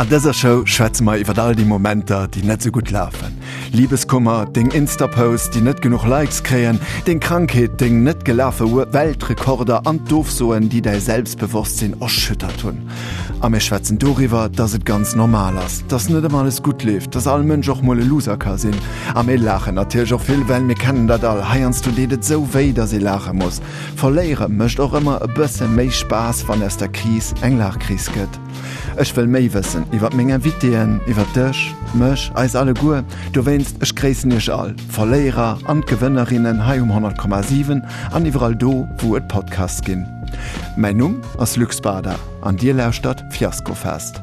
An dëser Show schwätze mer iwwer all déi Momenter, déi net sou gutt lafen. Libeskummer, deng Insta-Posts, déi net genuch Likes kréien, deng Krankheet, deng net gelafe Weltrekorder an d'Ofsoen, déi däi Selbstbewosstsinn erschüttert hunn. A mir schwätzen doriwwer, dass et ganz normal ass, dass net ëmmer alles gutt leeft, dass all Mënsch och mol e Loser ka sinn. A mir laachen natierlech och vill, well mir kennen dat all, heiansdo deet et sou wéi, dass ee laache muss. Verléiere mécht och ëmmer e bësse méi Spaass, wann aus der Kris eng Laachkris gëtt. Ech wëll méi wëssen iwwer meng Invitéen, iwwer dech, mech, eis alleguer. Dowéinst, ech gréissen iech all, d'Verléierer an d'Gewënnerinnen hei um 100,7 an iwwerall do, wou et Podcasts ginn. Mäin Numm ass Luc Spada an dir lauschtert Fiaskofest.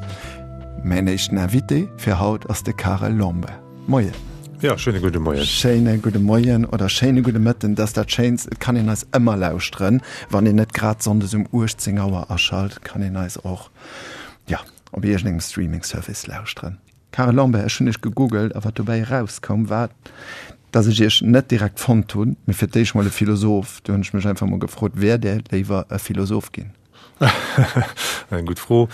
Mäin éischten Invité fir haut ass de Karel Lambert. Moien. Ja, schéine gudde Moien. Schéine gudde Moien oder schéine gudde Mëtten, dat ass dat Schéinst. Et kann een eis ëmmer lauschteren, wann een net grad sonndes um 18 Auer aschalt, kann een eis och, ja, op iergendengem Streaming-Service lauschteren. Karel Lambert, ech hunn iech gegoogelt a wat dobäi erauskoum, war, dass ech iech net direkt fonnt hunn, mee fir d'éischt mol e Philosoph. Du hunn ech mech einfach mol gefrot, Wäert Där léiwer e Philosoph ginn? Eng gutt Fro.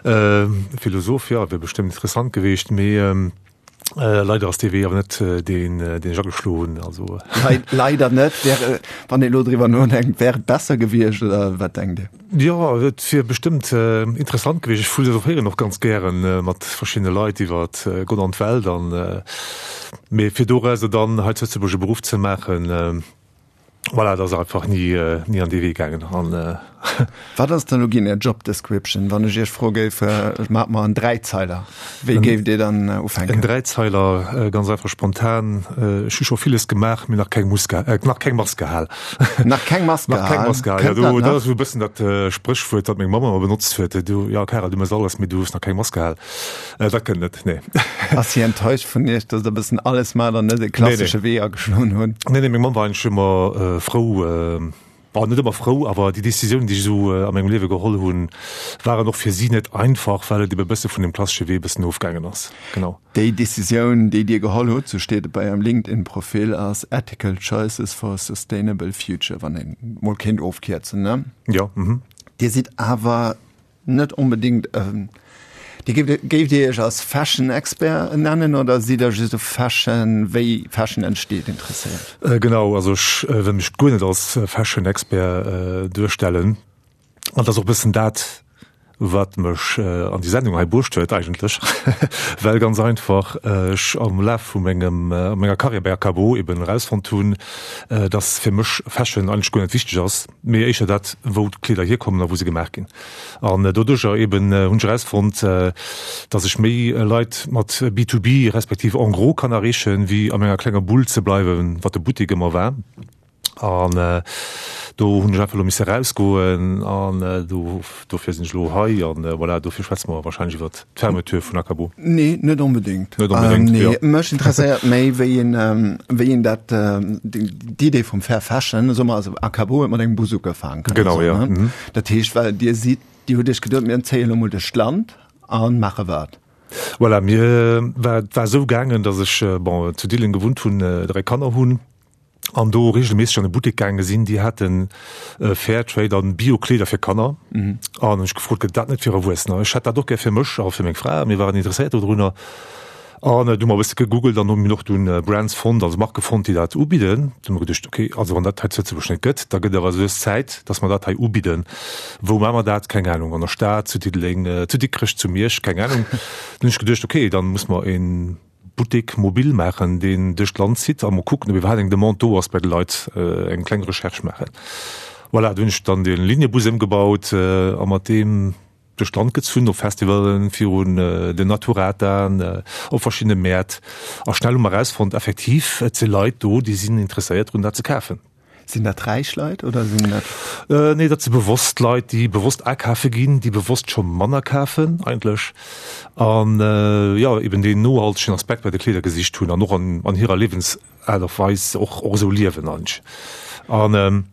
Philosoph, jo, wier bestëmmt interessant gewiescht, mee leider ass dee Wee awer net deen, deen ech ageschloen hunn. Also. Leider net. Wär, wann ee elo driwwer nodenkt, wär et besser gewiescht oder wat denkt Dir? Jo, et wier bestëmmt interessant gewiescht. Ech philosophéieren och ganz gären mat verschiddene Leit iwwer Gott an d'Welt an, mee fir dorauser dann hei zu Lëtzebuerg e Beruff ze maachen, Voilà, dat ass einfach ni, ni an dee Wee gaangen. An, äh. Wat ass dann elo ginn Är Job Description, wann ech Iech froe géif, maacht mer en Dräizeiler, wéi géift Dir dann ufänken? En Dräizeiler, ganz einfach spontan, Ech hu scho villes gemaach, mee nach keng Muska, nach keng Mask gehal. Nach keng Mask gehal? Nach keng Mask gehal, ja. Do, dat ass esou e bëssen dat Spréchwuert, dat meng Mamm ëmmer benotzt huet, Du, jo Karel, du méchs alles, mee du hues nach keng Mask gehal. Dat kënnt net, nee. Ass si enttäuscht vun Iech, datt Der e bëssen alles maacht an net e klassesche Wee ageschloen hutt? Nee, nee, meng Mamm war eigentlech ëmmer frou, bon, net ëmmer frou, awer déi Decisiounen, déi ech esou a mengem Liewe geholl hunn, waren och fir si net einfach, well et ebe e bësse vun dem klassesche Wee e bëssen ofgaangen ass. Genau. Déi Decisioun, déi Dir geholl hutt, sou steet et bei Ärem LinkedIn-Profil, ass Ethical Choices for a Sustainable Future, wann een mol kéint ofkierzen, ne? Jo, mhm. Dir sidd awer Net onbedingt. Dir géift, géift Dir Iech als Fashion-Expert nennen oder sidd Der just u Fashion, wéi Fashion entsteet, interesséiert? Genau, also ech wëll mech guer net als Fashion-Expert duerstellen. An dat ass och e bëssen dat, wat mech an déi Sendung hei bruecht huet eigentlech, well ganz einfach ech am Laf vu mengem, menger Karriär bei Akabo eben erausfonnt hunn, dass fir mech Fashion eigentlech guer net wichteg ass. Mee éischter dat, wou d'Kleeder hierkommen a wou se gemaach ginn. An doduercher eben hunn ech erausfonnt, dass ech méi Leit mat B2B respektiv en gros kann erreechen, wéi a menger klenger Bull ze bleiwen, wat de Buttek ëmmer war. An do hunn ech einfach elo misse erausgoen an do, dofir sinn ech elo hei. An voilà, dofir schwätze mer wahrscheinlech iwwert d'Fermeture vun Akabo. Nee, net onbedéngt. Net onbedéngt, nee. Mech interesséiert méi, wéi een, wéi een dat, d'Idee vum Fair Fashion, soe mer, also Akabo huet mat engem Bus ugefaangen, kann een Genau, soen, ja. Ne? Dat heescht, well Dir sidd, Dir hutt Iech geduet, mir zéien elo mol duerch d'Land a maache wat. Voilà, mir war, et war esou gaangen, datt ech, bon, zu Diddeleng gewunnt hunn, 3 Kanner hunn an do regelméisseg an e Buttek gaange sinn, déi haten Fairtrade an Bio-Kleeder fir Kanner. An hunn ech gefrot, gëtt dat net fir Erwuessener? Ech hätt dat och gär fir mech a fir meng Fra, mir waren interesséiert dodrunner. An du hu mer e bësse gegoogelt an hu mir och dunn Brands fonnt, also Marke fonnt, déi dat ubidden. Du hu mer geduecht, okay, also wann dat hei zu Lëtzebuerg net gëtt, da gëtt et awer lues Zäit, datt mer dat hei ubidden. Wou maache mer dat? Keng Anung. An der Stad, zu Diddeleng, zu Dikrech, zu Miersch, keng Anung. Dann hunn ech geduecht, okay, dann muss mer e Buttek mobil maachen, deen duerch d'Land zitt a mol kucken, ob iwwerhaapt eng Demande do ass bei de Leit, eng kleng Recherche maachen. Voilà, du hunn ech dann de Lignebus ëmgebaut a mat deem duerch d'Land gezunn, op Festivalen, virun den Naturataen, op verschiddene Mäert a schnell hu mer erausfonnt, effektiv, et si Leit do, déi sinn interesséiert drun, dat ze kafen. Sinn dat räich Leit oder sinn dat? Nee, dat si bewosst Leit, déi bewosst akafe ginn, déi bewosst scho manner kafen eigentlech an, jo, eben deen nohaltegen Aspekt bei de Kleeder gesicht hunn an och an hirer Liewensaart a Weis och esou liewen eigentlech. An.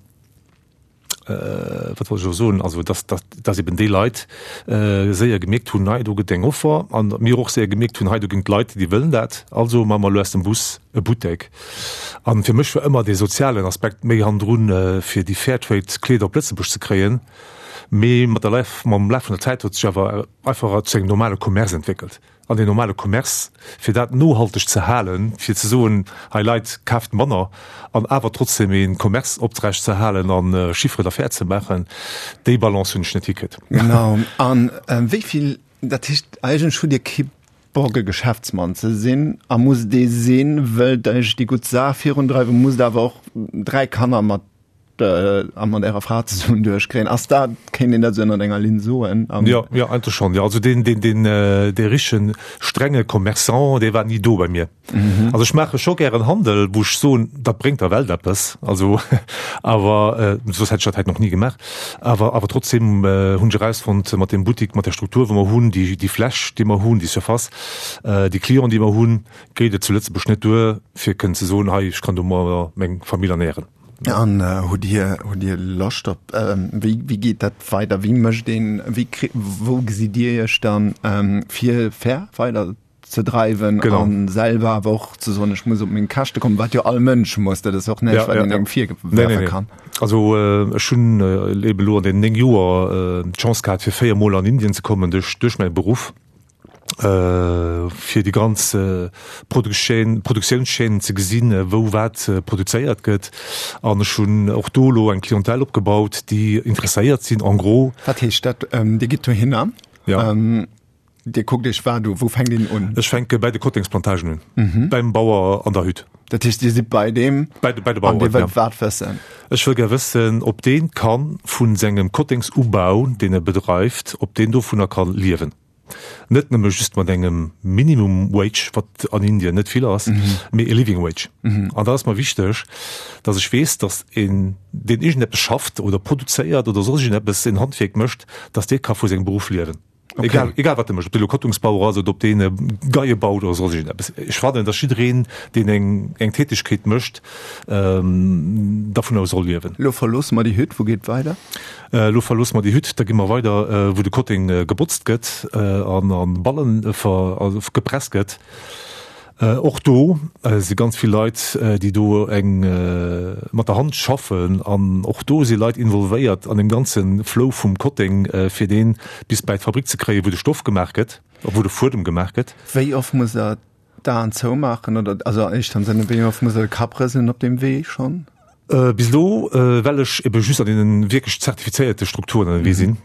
Wat wollt ech elo soen? Also, dass, dass, dass eben déi Leit séier gemierkt hunn, hei do gëtt eng Offer, an mir och séier gemierkt hunn, hei do ginn d'Leit, déi wëllen dat, also maache mer elo aus dem Bus e Buttek. A fir mech war ëmmer dee sozialen Aspekt méi hannendrun, fir déi Fairtrade-Kleeder op Lëtzebuerg ze kréien. Mee mat der Laf, mam Laf vun der Zäit huet sech awer einfach zu engem normale Commerce entwéckelt. An deen normale Commerce, fir dat nohalteg ze halen, fir ze soen, hei Leit, kaaft manner, an awer trotzdem ee Commerce oprecht ze halen a Chiffre d'affaires ze maachen, déi Balance hunn ech net hikritt. Genau. An wéi vill, dat heescht, eigentlech hutt Dir kee Bock e Geschäftsmann ze sinn a musst ee sinn, wëllt eigentlech déi gutt Saach virundreiwen, musst awer och 3 Kanner mat a mat Ärer Fra zesummen duerchkréien. Ass dat, kéint een dat esou ënnert enger Linn soen? Jo, jo, eigentlech schonn, jo. Also deen, deen, deen, dee richtegen strenge Commerçant, dee war ni do bei mir. Also ech maache scho gären Handel, wou ech soen, dat bréngt der Welt eppes, also awer soss hätt ech dat hätt nach ni gemaach. Awer, awer trotzdem hunn ech erausfonnt mat deem Buttik, mat der Struktur wou mer hunn, déi, déi Fläch déi mer hunn, déi Surface, déi Clienten déi mer hunn, geet et zu Lëtzebuerg net duer fir kënnen ze soen, hei ech kann domadder meng Famill ernähren. An hutt Dir, hutt Dir Loscht op, wéi, wéi geet dat weider? Wéi mécht een, wéi kri, wou gesitt Dir Iech dann, fir fair weider ze dreiwen an selwer awer och ze soen, ech muss op meng Käschte kommen, wat jo all Mënsch muss, dat ass och näischt, wat een engem virwerfe kann. Also ech hunn eben elo an deenen 9 Joer d'Chance gehat, fir 4 Mol an Indien ze kommen duerch, duerch mäi Beruff. fir déi ganz Produktiounschaînen ze gesinn, wou wat produzéiert gëtt. An ech hunn och do elo eng Clientèle opgebaut, déi interesséiert sinn en gros. Wat heescht dat? Dir gitt dohinner? Ja. Dir kuckt Iech wat u? Wou fänkt een un? Ech fänke bäi de Kottengsplantagen un, beim Bauer an der Hütt. Dat heescht, Dir sidd bei deem? Bei de, bei de Baueren, ja. An Dir wëllt wat wëssen? Ech wëll gär wëssen, ob deen ka vu sengem Kottengsubau, deen e bedreift, ob deen dovunner ka liewen. Net nëmme just mat engem Minimum Wage, wat an Indien net vill ass, mee e Living Wage. An dat ass mer wichteg, datt ech weess, datt een, deen iergendeppes schafft oder produzéiert oder soss iergendeppes, en Handwierk mécht, datt dee ka vu sengem Beruff liewen. Okay. Egal, egal wat e mécht, ob dee lo Kottungsbauer ass oder ob deen Geie baut oder soss iergendeppes. Ech fannen, datt jiddereen, deen eng, eng Tätegkeet mécht, dervunner soll liewen. Lo verloosse mer déi Hütt, wou geet et weider? Elo verloosse mer déi Hütt, da gi mer weider, wou de Kotteng gebotzt gëtt an a Ballen gepresst gëtt. Och do si ganz vill Leit, déi do eng mat der Hand schaffen an och do si Leit involvéiert an deem ganze Flow vum Kotteng, fir dee bis bäi d'Fabrik ze kréien, wou de Stoff gemaach gëtt, wou de Fuedem gemaach gëtt. Wéi oft muss Der d'Aen zoumaachen oder also éischter am Sënne, wéi oft muss Der de Kapp rëselen op deem Wee schonn? Bis elo, well ech ebe just an deene wierklech zertifizéierte Strukturen ënnerwee sinn,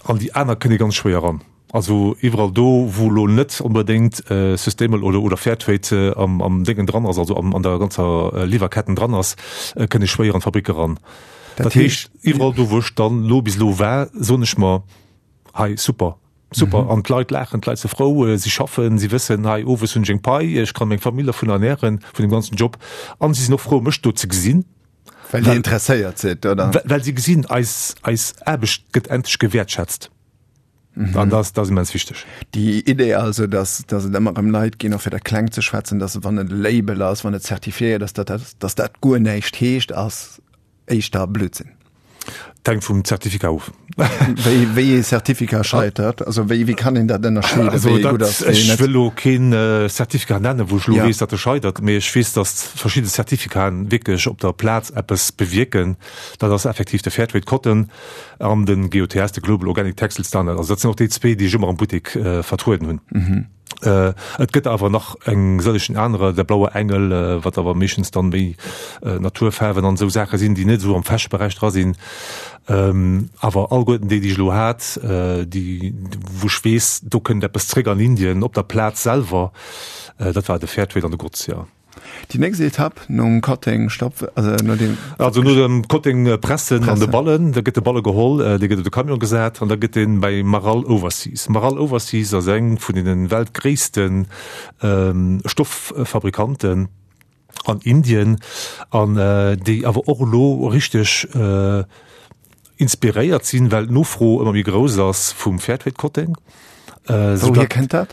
an déi aner kënnt ee ganz schwéier eran. Also iwwerall do, wou elo net onbedéngt Sustainable oder oder Fairtrade am am Déngen dran ass, also am an der ganzer Liwwerketten dran ass, kënnt ee schwéier an d'Fabrick eran. Dat heescht, iwwerall do, wou ech dann elo bis elo war, soen ech mer, hei super, Super, an d'Leit laachen, d'Leit si frou, si schaffen, si wëssen, hei owes hunn ech eng Pai, ech kann meng Famill dervun ernähren, vun deem ganzen Job. An si sinn och frou, mech do ze gesinn. Well Dir interesséiert sidd, oder? Well si gesinn, eis, eis Aarbecht gëtt endlech gewäertschätzt. An dat, dat ass immens wichteg. Déi Idee also, dass, dass et ëmmer erëm Leit ginn, och fir dat kleng ze schwätzen, dass wann et e Label ass, wann et zertifiéiert ass, datt dat, dass dat guer näischt heescht, ass éischter Blödsinn. Et hänkt vum Zertifikat of. Wéi, wéi ee Certificat scheitert? Also wéi, wéi kann een dat ënnerscheeden, Also wéi ee gutt ass, wéi ech wëll elo keen Certificat nennen, wou ech elo weess, datt e scheitert, mee ech weess, datt verschidde Certificaten wierklech op der Plaz eppes bewierken. Dat ass effektiv de Fairtrade Cotton an de GOTS, de Global Organic Textile Standard. Also dat sinn och déi zwee, déi ech ëmmer am Buttek vertrueden hunn. Et gëtt awer nach eng sëllegen anerer, Der Blaue Engel, wat awer meeschtens dann méi Naturfaarwen an esou Saache sinn, déi net esou am Fashion-Beräich dra sinn. Awer alleguerten déi, déi ech elo hat, déi wou ech weess, do kënnt eppes zréck an Indien op der Plaz selwer, dat war de Fairtrade an de Grotz, jo. Déi nächst Etapp nom Kotteng Stopp, also no dem. Also no dem Kotteng pressen an de Ballen, da gëtt de Balle geholl, dee gëtt op de Camion gesat an da gëtt deen bei Maral Overseas. Maral Overseas ass eng vun deene weltgréisste Stofffabrikanten an Indien an déi awer och elo richteg inspiréiert sinn, well d'Nofro ëmmer méi grouss ass vum Fairtrade-Kotteng. Wouhier kënnt dat?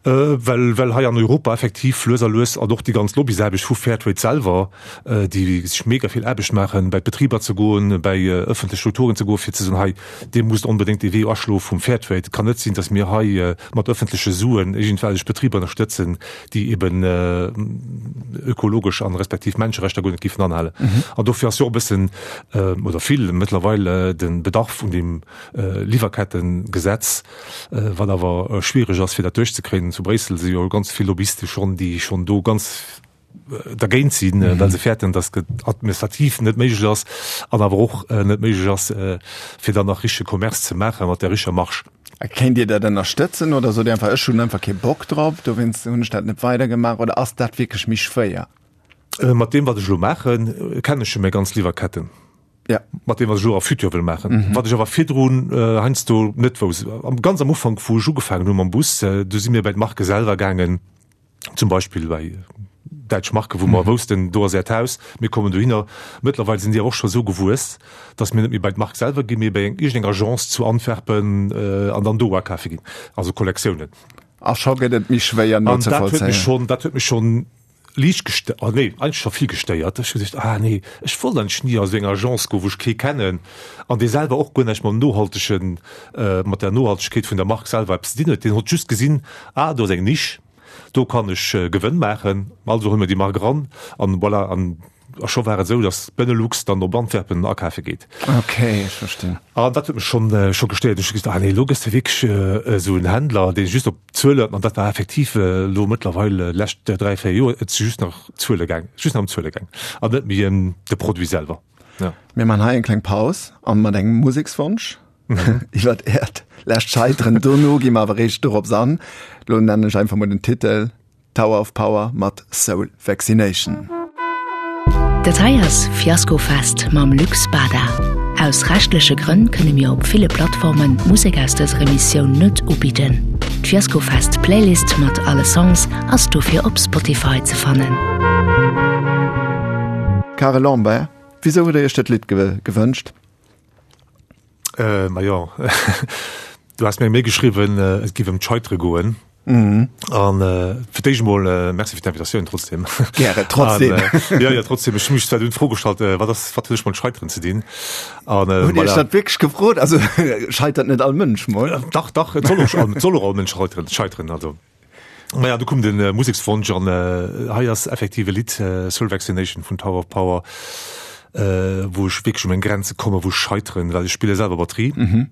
Well, well hei an Europa effektiv lues a lues, an och déi ganz Lobbysaarbecht vu Fairtrade selwer, déi sech mega vill Aarbecht maachen, bei d'Betriber ze goen, bei ëffentlech Strukturen ze goen, fir ze soen, hei, Dir musst onbedéngt dee Wee aschloe vum Fairtrade. Et kann net sinn, datt mir hei mat ëffentleche Suen iergendwellech Betriber ënnerstëtzen, déi eben ökologesch an respektiv Menscherechter guer net géifen anhalen. An dofir ass jo och e bëssen, oder vill mëttlerweil, de Bedarf un deem Liwwerkettengesetz, Wat awer schwiereg ass, fir dat duerchzekréien. Zu Bréissel si jo ganz vill Lobbyiste schonn, déi schonn do ganz dergéint sinn, well se fäerten, datt et administrativ net méiglech ass an awer och net méiglech ass, fir dann nach richtege Commerce ze maache mat der richteg Marge. A kéint Dir dat ënnerstëtzen oder sot Dir einfach, ech hunn einfach kee Bock drop, dowéinst hunn ech dat net weidergemaach? Oder ass dat wierklech méi schwéier? Mat deem, wat ech elo maachen, kennen ech jo meng ganz Liwwerketten. Ja. Mat deem, wat ech elo a Futur wëll maachen. Mhm. Wat ech awer virdrun äh, heiansdo net wousst. Am, ganz am Ufank, wou ech ugefaangen hu mam Bus, äh, du si mir bei d'Marke selwer gaangen, zum Beispill bei däitsch Marke, wou mer mhm. woussten, do ass äert Haus, mir kommen dohinner. Mëttlerweil sinn déi och scho sou gewuess, dass mir net méi bei d'Mark selwer ginn, mee bei eng iergendeng Agence zu Antwerpen äh, an dann do akafe ginn. Also Kollektiounen. A scho gëtt et méi schwéier An dat huet mech schon, dat huet mech schon liicht gestéiert, oh nee, eigentlech scho vill gestéiert. Ech hu geduecht, ah nee, ech wollt eigentlech ni a sou eng Agence goen, wou ech kee kennen an dee selwer och guer näischt mam nohaltegen, mat der Nohaltegkeet vun der Mark selwer eppes ze dinn huet. Deen hott just gesinn, ah do ass eng Nisch, do kann ech Gewënn maachen, also huele mer déi Mark eran an voilà. An A scho war et esou, datt d'Benelux dann op Antwerpen akafe geet. Ok, ech verstinn. An dat huet mech schonn, scho gestéiert. Ech hu gesot, ah nee, elo gëss de wierklech esou en Händler, dee just op Zuele, an dat war effektiv elo mëttlerweil lescht 3, 4 Joer, et si just nach Zuele gaang, just nach ëm Zuele gaang an net méi ëm de Produit selwer. Ja. Mir man hei eng kleng Paus an mat engem Musekswonsch iwwert Äert lescht Scheiteren. Dono gi mer awer eréischt dorops an. Elo nennen ech einfach mol den Titel. Tower of Power mat Soul Vaccination. Dat hei ass Fiaskofest mam Luc Spada. Aus rechtleche Grënn kënne mir op ville Plattformen d'Musek aus dëser Emissioun net ubidden. D'Fiaskofest Playlist mat alle Songs ass dofir op Spotify ze fannen. Karel Lambert, wisou hutt der Iech dat Lidd gewënscht? Äh, ma jo, du has mir eng Mail geschriwwen, äh, et giff ëm d'Scheitere goen. Mhm. An äh, fir d'éischt emol äh, Merci fir d'Invitatioun trotzdem. Gäre, trotzdem. An, äh, ja, ja, trotzdem. Ech hu mech zwar dunn d'Fro gestallt, äh, wat ass, wat huet ech mat Scheiteren ze dinn? An, äh, Hutt Dir iech dat wierklech gefrot? Also scheitert net all Mënsch mol? Äh, dach, dach, et soll och, et soll och all Mënsch scheiteren, scheiteren, also. Naja, du koum den äh, Musekswonsch an äh, hei ass effektiv e Lidd äh, Soul Vaccination vun Tower of Power, äh, wou ech wierklech un meng Grenze komme, wou ech scheiteren, well ech spille selwer Batterie. Mhm.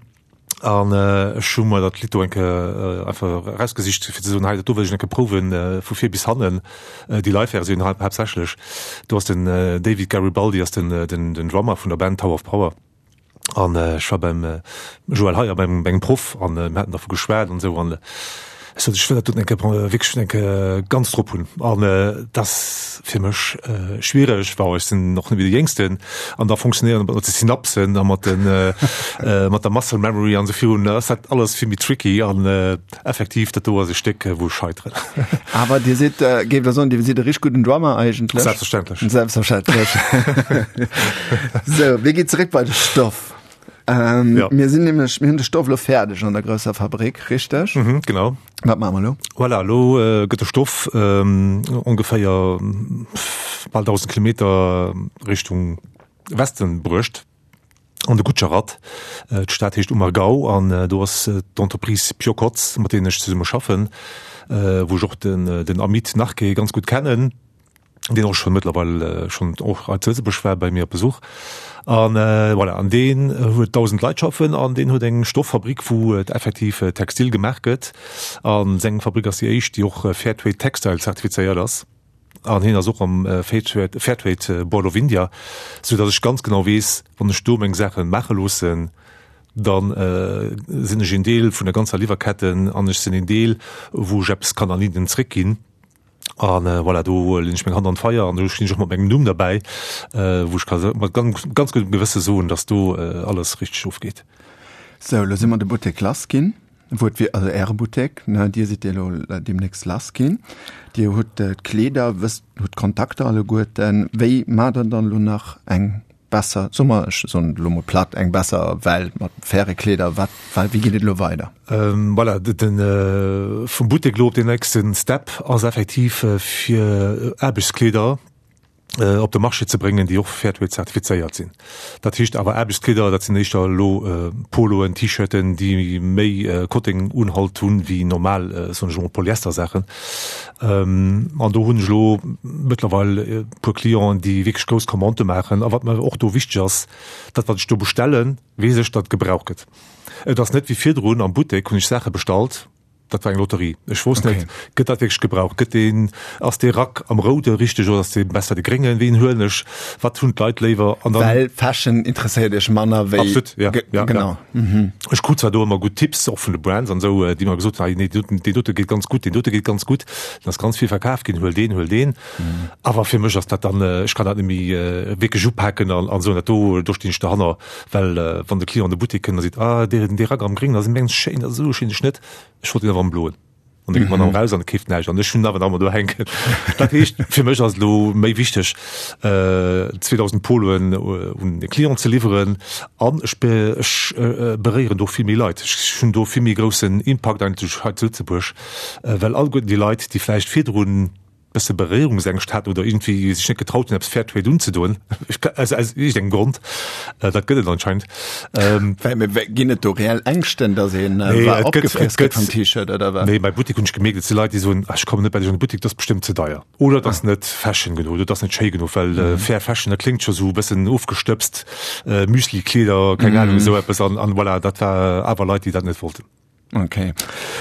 An äh, ech hu mer dat Lidd do enke äh, einfach erausgesicht, fir ze soen, hei, dat do wëll ech enke prouwen äh, vu vir bis hannen, äh, déi Live-Versioun hau haaptsächlech. Do ass den äh, David Garibaldi ass den, äh, den, den Drummer vun der Band Tower of Power. An ech war beim Joël Heyer, beim mengem Proff, an mir haten dervu geschwat an esou. An ech sot, ech wëll dat doten eng Kéier wierklech eng Kéier ganz drop hunn. An et ass fir mech schwiereg, well ech sinn och net méi de Jéngsten. An da fonctionnéieren mat de Synapsen a mat den, mat der Muscle Memory an esou virun, da ass dat alles vill méi tricky. An effektiv, dat do ass e Stéck, wou ech scheiteren. Awer Dir sidd, géif der soen, Dir sidd e richteg gudden Drummer eigentlech? Selbstverständlech. Selbstverständlech. Sou, mir ginn zeréck bei de Stoff. Ähm, ja. Mir sinn nämlech, mir hunn de Stoff lo fäerdeg an der grousser Fabrik, richteg? Mhm, genau. Wat maache mer lo? Voilà, lo äh, gëtt de Stoff ähm, ongeféier bal 1000 Kilometer Richtung Westen bruecht. An de Gujarat. D'Stad heescht Umargao an do ass d'Entreprise Piocotz, mat deenen ech zesumme schaffen, wou ech och den Amit Narke ganz gutt kennen, deen och schonn mëttlerweil schonn och hei zu Lëtzebuerg war bei mir op Besuch. An voilà, an deen huet 1.000 Leit schaffen an deen huet eng Stofffabrik, wou et effektiv Textil gemaach gëtt. A seng Fabrik ass déi éischt, déi och Fairtrade Textile zertifizéiert ass. An hien ass och am Fairtrade Board of India, sou datt ech ganz genau weess, wann ech do meng Saache maache loossen, da sinn ech een Deel vun der ganzer Liwwerketten an ech sinn een Deel, wou ech eppes kann an Indien zréckginn. A voilà, do leen ech meng Hand an d'Feier an do stinn ech och mat mengem Numm derbäi, wou ech ka mat ganz guddem Gewësse soen, datt do alles richteg ofgeet. Sou, elo si mer de Buttek lass ginn. Wou et wier, also Äre Buttek, ne, Dir sidd elo deemnächst lass ginn. Dir hutt d'Kleeder, wësst, hutt d'Kontakter alleguerten. Wéi maacht Der dann elo nach eng? besser, soe mer, ech soen et elo mol platt, eng besser Welt mat faire Kleeder? Wat, wat, wéi geet et elo weider? Voilà, den, vum Buttek elo op den nächste Step ass effektiv fir Aarbechtskleeder op de Marché ze bréngen, déi och Fairtrade zertifizéiert sinn. Dat heescht awer Aarbechtskleeder, dat sinn éischter elo Poloen, T-Shirten, déi méi Kottengunhalt hunn wéi normal, soen ech emol, Polyester-Saachen. An do hunn ech elo mëttlerweil e puer Clienten, déi wierklech grouss Commandë maachen. A wat mer och do wichteg ass, dat wat ech do bestellen, weess ech, datt et gebraucht gëtt. Et ass net wéi virdrun am Buttek hunn ech Saache bestallt, dat war eng Lotterie. Ech wousst net, gëtt dat wierklech gebraucht, gëtt deen, ass dee Rack am Roude richteg oder ass dee besser de Gréngen, ween huelen ech, wat hunn d'Leit léiwer an dann. Well Fashion interesséiert Iech manner wéi. Absolut, ja, ja, genau. Ja. Ech krut zwar do ëmmer gutt Tipps, och vun de Brands an esou, déi mer gesot hunn, hei nee, deen dote geet ganz gutt, deen dote geet ganz gutt, dann ass ganz vill verkaf ginn, huel deen, huel deen. Awer fir mech ass dat dann, ech kann dat net méi wierklech upaken an an soen, dat do, do stinn ech derhanner. Well wann de Client an de Buttek kënnt a seet, ah deen dee Rack am Gréngen ass immens schéin, dat ass esou e schéine Schnëtt, ech wollt deen awer am Bloen. An da geet d'Madame raus an keeft näischt an ech hunn awer nach ëmmer do hänken. Dat heescht, fir mech ass et elo méi wichteg, 2.000 Poloen un de Client ze liwweren an ech ech beréieren do vill méi Leit. Ech hunn do vill méi groussen Impakt eigentlech hei zu Lëtzebuerg, well alleguerten déi Leit, déi vläicht virdrun, bësse Beréierungsängscht haten oder iergendwéi sech net getraut hunn, eppes Fairtrade unzedoen, aus aus iergendengem Grond, dat gëtt et anscheinend. Well ginn et do reell Ängschten, datt een Nee, et gëtt, opgefriess et gëtt vum gëtt, T-Shirt oder wat? nee, bei Buttek hunn ech gemierkt, et si Leit, déi soen, ah, ech kommen net bei dech an de Buttek, dat ass bestëmmt ze deier oder dat ass net fashion genuch oder dat ass net schéi genuch, well fair fashion, dat kléngt scho sou e bëssen ofgestëbst, Müsli-Kleeder, keng Ahnung, esou eppes an an voilà, dat war awer Leit, déi dat net wollten. Okay.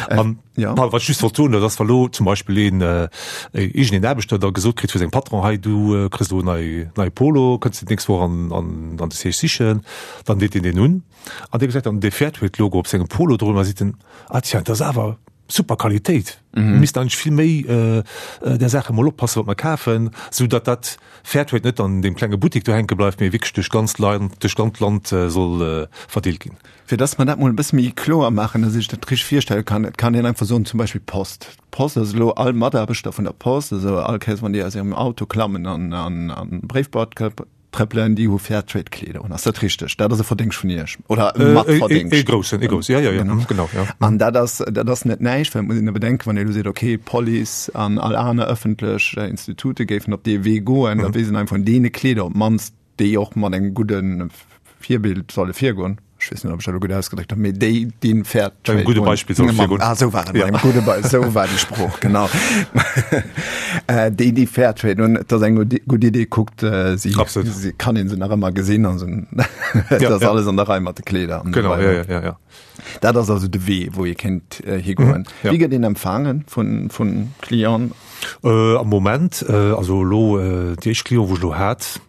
Äh, An, ja. Paul, wat just wollt soen, dat ass wa lo zum Beispill een äh, iergendeen Aarbechter da gesot kritt vu sengem Patron, hei du äh, kriss lo nei nei Polo, kënns de d'nächst Woch an, an, an de Siège sichen, dann deet deen deen un an dee gesäit dann dee Fairtrade-Logo op sengem Polo drun a seet en, ah tiens, dat ass awer super Qualitéit. Mhm. Mir missten eigentlech vill méi äh, äh, där Saache mol oppassen, wat mer kafen, sou datt dat Fairtrade net an deem klenge Buttek do hänke bleift, mee wierklech duerch d'ganzt Land, duerch d'ganzt Land äh, soll äh, verdeelt ginn. Fir dass mer dat mol e bësse méi kloer maachen, dass ech dat richteg virstelle kann, et kann een einfach soen, zum Beispill d'Post. D'Post ass elo all Mataarbechter vun der Post, also all Kéiers wann déi aus hirem Auto klammen an an d'Bréifboîte trëppelen, déi hu Fairtrade-Kleeder un. Ass dat richteg? Dat ass e Verdéngscht vun Iech oder e Matverdéngscht? E groussen, e groussen, jo, jo, jo, genau, jo. An dat ass, dat ass net näischt, well et muss een e bedenken, wann ee elo seet, okay, d'Police an all aner ëffentlech Institute géifen op dee Wee goen, da weess een einfach, vun deene Kleeder op d'mannst déi och mat engem gudde Virbild solle virgoen. Ech weess net, ob ech dat elo gutt ausgedréckt hunn, mee déi, déi fair trade. Engem gudde Beispill solle virgoen. Ah, esou war et, mat engem gudde Beispill, esou war déi Sprooch, genau. Déi, déi fair trade hunn, et ass eng gutt Idee, kuckt si, si kann ee se nach ëmmer gesinn an et ass alles an der Rei mat de Kleeder. Genau, jo, jo, jo. Dat ass also de Wee, wou ee kéint higoen. Wéi gëtt een empfaange vu Clienten? Am Moment, also elo déi éischt Clienten, wou ech elo hat,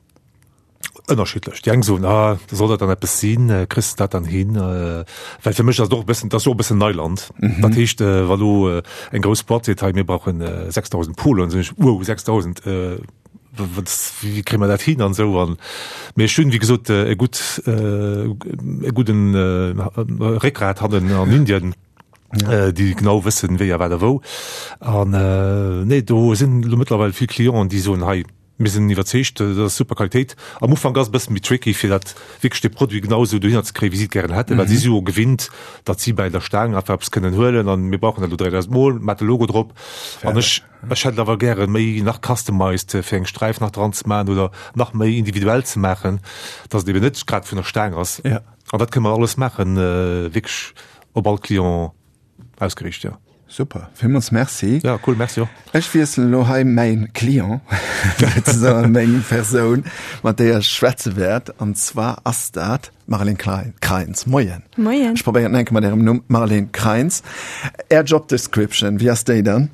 Ënnerschiddlech. Déi eng soen, ah, soll dat dann eppes sinn, kriss de dat dann hin? Well fir mech ass et och e bëssen, dat ass och e bëssen Neiland. Dat heescht, wa lo eng grouss Boîte seet, hei mir brauchen 6.000 Poloen, soen ech, wow, 6.000, wat, wéi kréie mer dat hin an esou. An, mee ech hunn, wéi gesot, e gutt, e gudden Réckgrat hannen an Indien, déi genau wëssen, wéi a wat a wou. An nee, do sinn elo mëttlerweil vill Clienten, déi soen, hei, Mir sinn iwwerzeegt, dat ass super Qualitéit. Am Ufank ass et e bësse méi tricky, fir dat wierklech de Produit genau esou dohinner ze kréien, wéi si et gären hätten, well si si jo gewinnt, datt si bäi der Staang einfach eppes kënnen huelen an mir brauchen dat elo 3.000 Mol, mat de Logo drop. An ech, ech hätt et awer gäre méi nach customized, fir eng Sträif nach dran ze maachen oder nach méi individuell ze maachen, datt et eben net grad vun der Staang ass. An dat kënne mer alles maachen, wierklech op all Client ausgeriicht, jo. Super, villmools Merci. Ja, cool, Merci och. Ech wiesselen elo hei mäin Client, souzesoen meng Persoun, mat déier ech schwätze wäert, an zwar ass dat d'Marlène Kreins. Moien. Moien. Ech probéieren et nach eng Kéier mat Ärem Numm, Marlène Kreins. Är Job Description, wéi ass déi dann?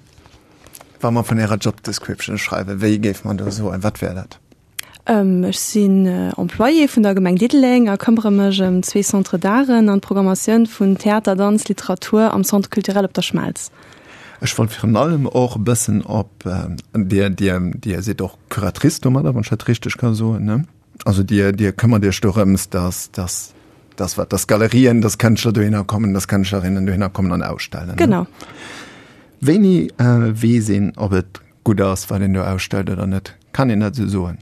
Wa mer vun Ärer Job Description schreiwen, wéi géife mer do soen, wat wär dat? Ech sinn Employée vun der Gemeng Diddeleng a këmmere mech ëm zwee Centres d'Arten an d'Programmatioun vun Theater, Danz, Literatur am Centre culturel Op der Schmelz. Ech wollt virun allem och e bëssen op, Dir, Dir, Dir sidd och Curatrice domadder, wann ech dat richteg ka soen, ne? Also Dir, Dir këmmert Iech dorëms, dass, dass, dass wat, dass Galerien, dass Kënschtler dohinner kommen, dass Kënschtlerinnen dohinner kommen an ausstellen, ne? Genau. Wéini weess een, ob et gutt ass, wat een do ausstellt oder net? Kann een dat esou soen?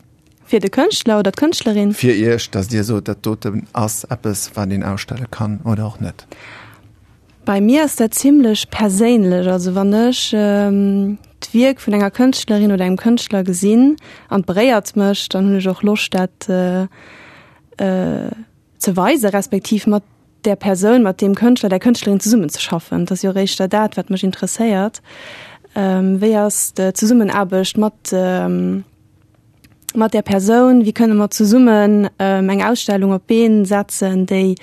Fir de Kënschtler oder d'Kënschtlerin? Fir Iech, datt Dir sot, dat doten ass eppes, wat een ausstelle kann oder och net. Bei mir ass dat zimlech perséinlech. Also wann ech d'Wierk vun enger Kënschtlerin oder engem Kënschtler gesinn an et beréiert mech, dann hunn ech och Loscht dat ze weisen, respektiv mat där Persoun, mat deem Kënschtler, där Kënschtlerin zesummenzeschaffen. Et ass jo och éischter dat, wat mech interesséiert. Wéi ass d'Zesummenaarbecht mat mat där Persoun? Wéi kënne mer zesummen eng Ausstellung op d'Been setzen, déi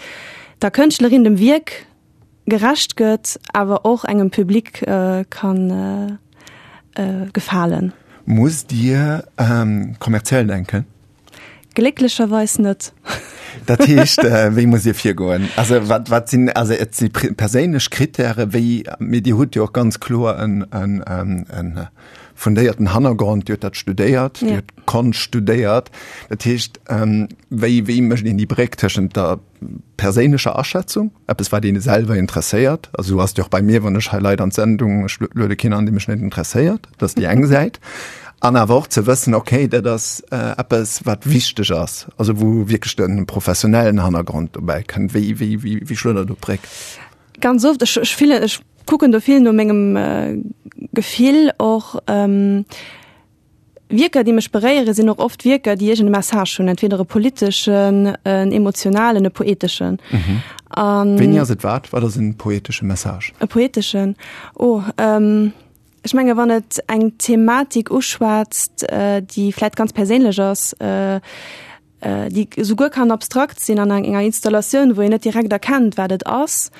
der Kënschtlerin, dem Wierk gerecht gëtt, awer och engem Public ka gefalen? Musst Dir kommerziell denken? Glécklecherweis net. Dat heescht, wéi muss Dir virgoen? Also wat, wat sinn, also et si perséinlech Kritäre, wéi, mee Dir hutt jo och ganz kloer en, en, en fundéierten Hannergrond, Dir hutt dat studéiert, Dir hutt Konscht studéiert. Dat heescht, wéi, wéi mécht een déi Bréck tëschent der perséinlecher Aschätzung, eppes wat een selwer interesséiert, also sou ass et jo och bei mir, wann ech hei Leit an d'Sendung, ech luede keen an, dee mech net interesséiert, dat ass déi eng Säit, an awer och ze wëssen, okay, dat ass eppes wat wichteg ass, also wou wierklech de professionellen Hannergrond dobäi kënnt. Wéi, wéi, wéi, wéi schloet Der do d'Bréck? Ganz oft, ech, ech fillen, ech kucken do vill no mengem Gefill och. Wierker, déi mech beréieren, sinn och oft Wierker, déi iergend e Message hunn, entweder e politeschen, en emotionalen, e poeteschen. An. Wéini ass et wat? Wat ass en poetesche Message? E poeteschen? Oh, ech menge wann et eng Thematik uschwätzt, déi vläit ganz perséinlech ass, déi esouguer kann abstrakt sinn an enger Installatioun, wou een net direkt erkennt, wat et ass,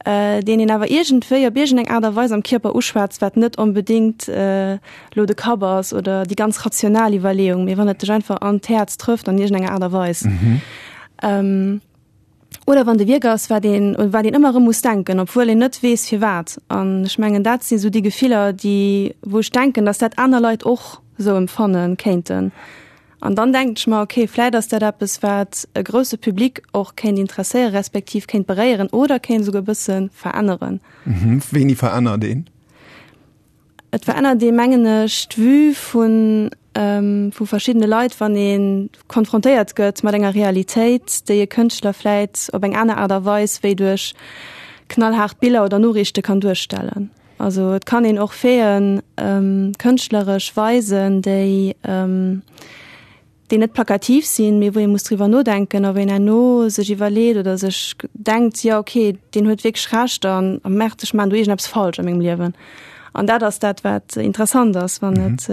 deen een awer iergendwéi op iergendeng Aart a Weis am Kierper uschwätzt, wat net onbedéngt elo de Kapp ass oder déi ganz rational Iwwerleeung, mee wann et dech einfach an d'Häerz trëfft an iergendenger Aart a Weis. Oder wann de Wierk ass, wat een, un wat een ëmmer erëm muss denken, obwuel een net weess firwat. An ech mengen, dat si sou déi Gefiller, déi, wou ech denken, datt dat aner Leit och sou empfanne kéinten. An dann denken ech mer, okay, vläit ass dat eppes, wat e grousse Public och kéint interesséieren, respektiv kéint beréieren oder kéint esouguer e bësse veränneren. Wéini verännert een? Et verännert ee, mengen ech, d'Vue vu vu verschiddene Leit, wann ee konfrontéiert gëtt mat enger Realitéit, déi e Kënschtler vläit op eng aner Aart a Weis wéi duerch knallhaart Biller oder Noriichte kann duerstellen. Also et kann een och Faiten kënschtleresch weisen, déi déi net plakativ sinn, mee wou ee muss driwwer nodenken a wou een herno sech iwwerleet oder sech denkt, jo okay, deen huet wierklech Recht an a merkt, ech maachen do iergendeppes falsch a mengem Liewen. An dat ass dat, wat interessant ass, wann et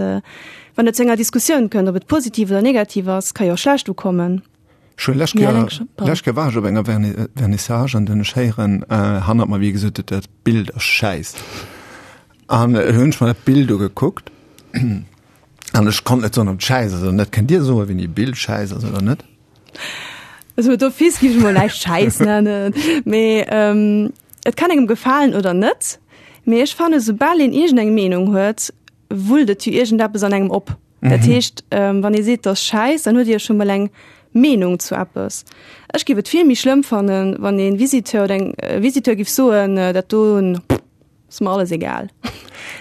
wann et zu enger Diskussioun kënnt, ob et positiv oder negativ ass, ka jo och schlecht ukommen. Ech hunn lescht Kéier, lescht Kéier war ech op enger Vernissage an dunn ech héieren hannert mer, wéi ee gesot huet, dat Bild ass schäiss. An hunn ech mer dat Bild ugekuckt. An ech konnt net soen, ob et schäiss ass oder net. Kënnt Dir soen, wéini e Bild schäiss ass oder net? Also d'office géif ech mol näischt schäiss nennen, mee et kann engem gefalen oder net. Mee ech fannen, soubal een iergendeng Meenung huet, wullt et jo iergendeppes an engem op. Dat heescht, wann ee seet, 't ass schäiss, dann huet ee jo scho mol eng Meenung zu eppes. Ech géif et vill méi schlëmm fannen, wann ee Visiteur oder eng Visiteur géif soen, dat do, Ass mer alles egal.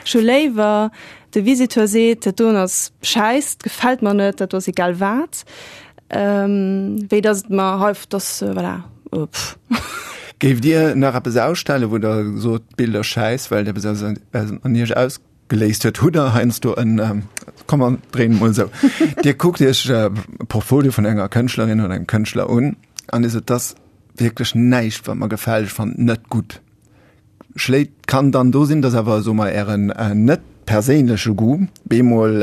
Ech hu léiwer, de Visiteur seet, dat doen ass schäiss, dat gefält mer net, dat do ass egal wat, wéi datt et mer hei, dass, voilà, pff. Géift Dir nach eppes ausstellen, wou Der sot, d'Bild ass schäiss, well et eppes aus an Iech ausgeléist huet? Hutt Der heiansdo en, komm mer dréinen et mol esou, Dir kuckt Iech e Portfolio vun enger Kënschtlerin oder engem Kënschtler un an Dir sot, dat ass wierklech näischt, wat mer gefält, ech fannen et net gutt. Schléit kann dann do sinn, dass awer soe mer ären net perséinleche Goût bemol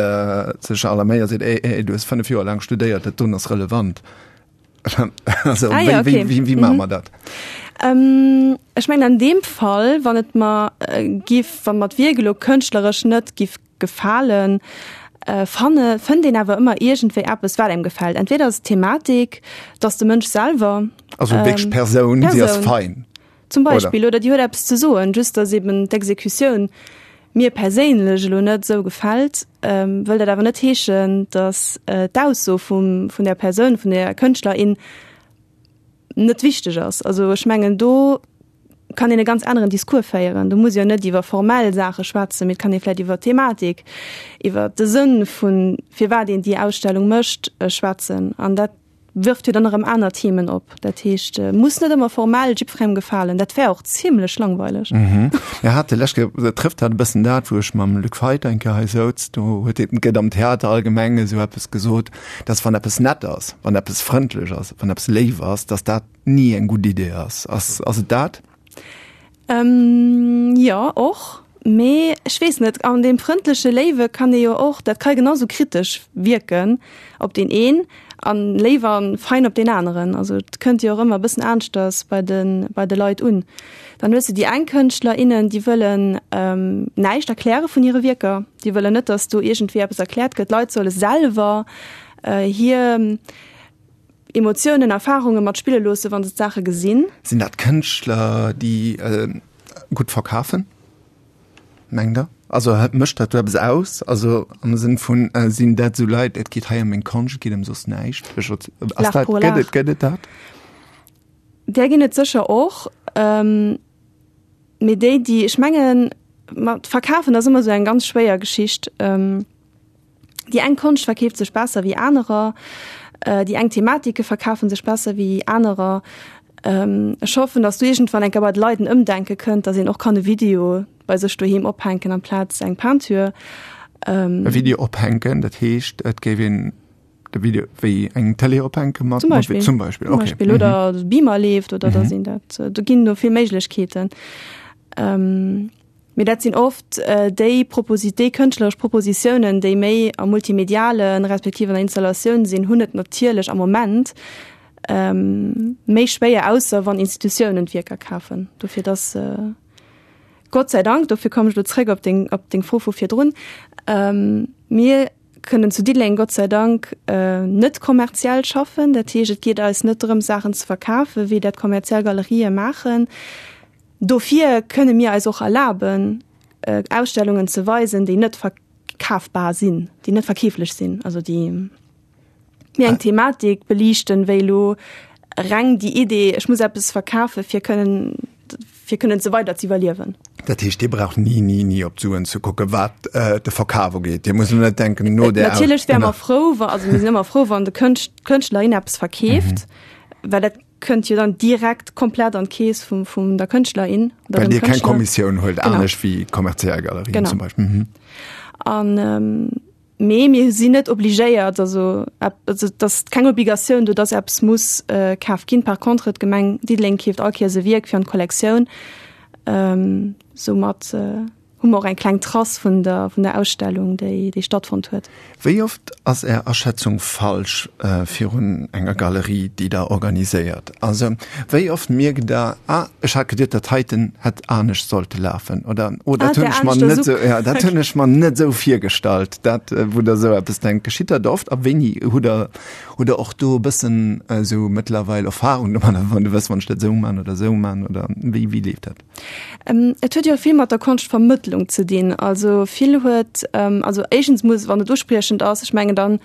sech alarméiert seet, ey, ey, du hues 5 Joer laang studéiert, dat doen ass relevant. Also ah, ja, wéi, okay. wéi, wéi maache mer dat? Ähm, ech mengen an deem Fall, wann et mer äh, giff, wann mer d'Wierk elo kënschtleresch net giff gefalen, äh, fanne, fënnt een awer ëmmer iergendwéi eppes, wat engem gefält. Entweder ass et d'Thematik, dass de Mënsch selwer. Also wierklech ähm, Persoun, si ass fein. Zum Beispill, oder déi huet eppes ze soen, just datt eben d'Exekutioun mir perséinlech elo net esou gefält, wëll dat awer net heeschen, datt d'Ausso vum, vun där Persoun, vun där Kënschtlerin net wichteg ass. Also ech mengen do. kann een e ganz aneren Discours féieren. Do muss ee jo net iwwer formell Saache schwätzen, mee et kann ee vläicht iwwer d'Thematik, iwwer de Sënn vun firwat een déi Ausstellung mécht, schwätzen. An dat wërft jo dann erëm aner Themen op. Dat heescht, muss net ëmmer formell jiddwerengem gefalen. Dat wär och zimlech langweileg. Mir hate lescht Kéier, dat trëfft dat e bëssen dat, wou ech mam Luc Feit eng Kéier hei souz, do huet hie, gëtt am Theater allgemeng esou eppes gesot, dass wann eppes nett ass, wann eppes frëndlech ass, wann eppes léif ass, dass dat ni eng gutt Idee ass. Ass, ass et dat? Ähm, jo, och. Mee ech weess net, an deem frëndleche Léiwe kann ee jo och, dat ka genau sou kritesch wierken op deen een an léif a fein op deen aneren. Also et kënnt jo och ëmmer e bëssen aneschters bei de, bei de Leit un. Dann hues de déi eng Kënschtler, innen, déi wëllen näischt erkläre vun hire Wierker. Déi wëllen net, datt do iergendwéi eppes erkläert gëtt. D'Leit solle selwer hir Emotiounen, Erfarunge mat spille loosse wa se d'Saache gesinn. Sinn dat Kënschtler, déi gutt verkafen, mengt Der? Also mécht dat do eppes aus? Also am Sënn vun, sinn dat esou Leit, et geet hei ëm meng Konscht, et geet ëm soss näischt? Ass dat, gëtt et, gëtt et dat? Där ginn et sécher och. Mee déi, déi, ech mengen, mat verkafen ass ëmmer esou eng ganz schwéier Geschicht. Déi eng Konscht verkeeft sech besser wéi anerer, déi eng Thematike verkafe sech besser wéi anerer. Ech hoffen, datt do iergendwann eng Kéier bei de Leit en Ëmdenke kënnt, datt een och kann e Video bei sech doheem ophänken amplaz eng Peinture. E Video ophänken, dat heescht, et géif een de Video wéi eng Tëlee ophänke mat? Zum Beispill. Zum Beispill, okay. Zum Beispill. Oder de Beamer leeft oder datt een dat, do ginn do vill Méiglechkeeten. Mee dat sinn oft déi Proposi-, déi kënschtleresch Propositiounen, déi méi am Multimedialen, respektiv an der Installatioun sinn, hunn et natierlech am Moment méi schwéier, ausser wann Institutiounen d'Wierker kafen. Dofir dass, Gott sei Dank, dofir kommen ech elo zréck op deng, op deng Fro vu virdrun, mir kënnen zu Diddeleng Gott sei Dank net kommerziell schaffen. Dat heescht, et geet eis net drëm, Saachen ze verkafen, wéi dat kommerziell Galerië maachen. Dofir kënne mir eis och erlaben, Ausstellungen ze weisen, déi net verkafbar sinn, déi net verkeeflech sinn, also déi méi eng Thematik beliichten, wéi elo reng déi Idee, ech muss eppes verkafe fir kënnen, fir kënnen ze weider ze iwwerliewen. Dat heescht, Dir braucht ni, ni, ni op d'Suen ze kucken, wat de Verkaf ugeet. Dir musst elo net denken, no där. Natierlech wäre mer frou, wa, also mir sinn ëmmer frou, wann de Kënscht, d'Kënschtlerin eppes verkeeft, well dat Kënnt jo dann direkt komplett an d'Keess vum, vum der Kënschtlerin oder Well dem Dir keng Kënschtler. Kommissioun huelt, Genau. anescht wéi kommerziell Galerien Genau. zum Beispill. Mhm. An ähm, mee mir sinn net obligéiert, also, also et ass keng Obligatioun do, dass eppes muss äh, kaf ginn. Par contre, d'Gemeng Diddeleng keeft all Kéiers e Wierk fir an d'Kollektioun. Ähm, soumat äh, hu mer och eng kleng Trace vun der, vun der Ausstellung, déi, déi stattfonnt huet. Wéi oft ass Är Aschätzung falsch virun enger Galerie, déi Der organiséiert? Also wéi oft mierkt Der, ah, ech hat geduet, dat heiten hätt anescht sollte lafen oder oh, dat hunn ech mer net esou, ja, dat hunn ech mer net esou virgestallt, dat, wou Der esou eppes denkt. Geschitt dat oft a wéini hutt Der, hutt Der och do e bëssen esou mëttlerweil Erfahrung domadder, wann Der wësst, wann ech dat esou man oder esou man oder wéi, wéi leeft dat? Et huet jo vill mat der Konschtvermëttlung ze dinn. Also vill huet, also éischtens muss, wann et uspriechend ass, ech mengen dann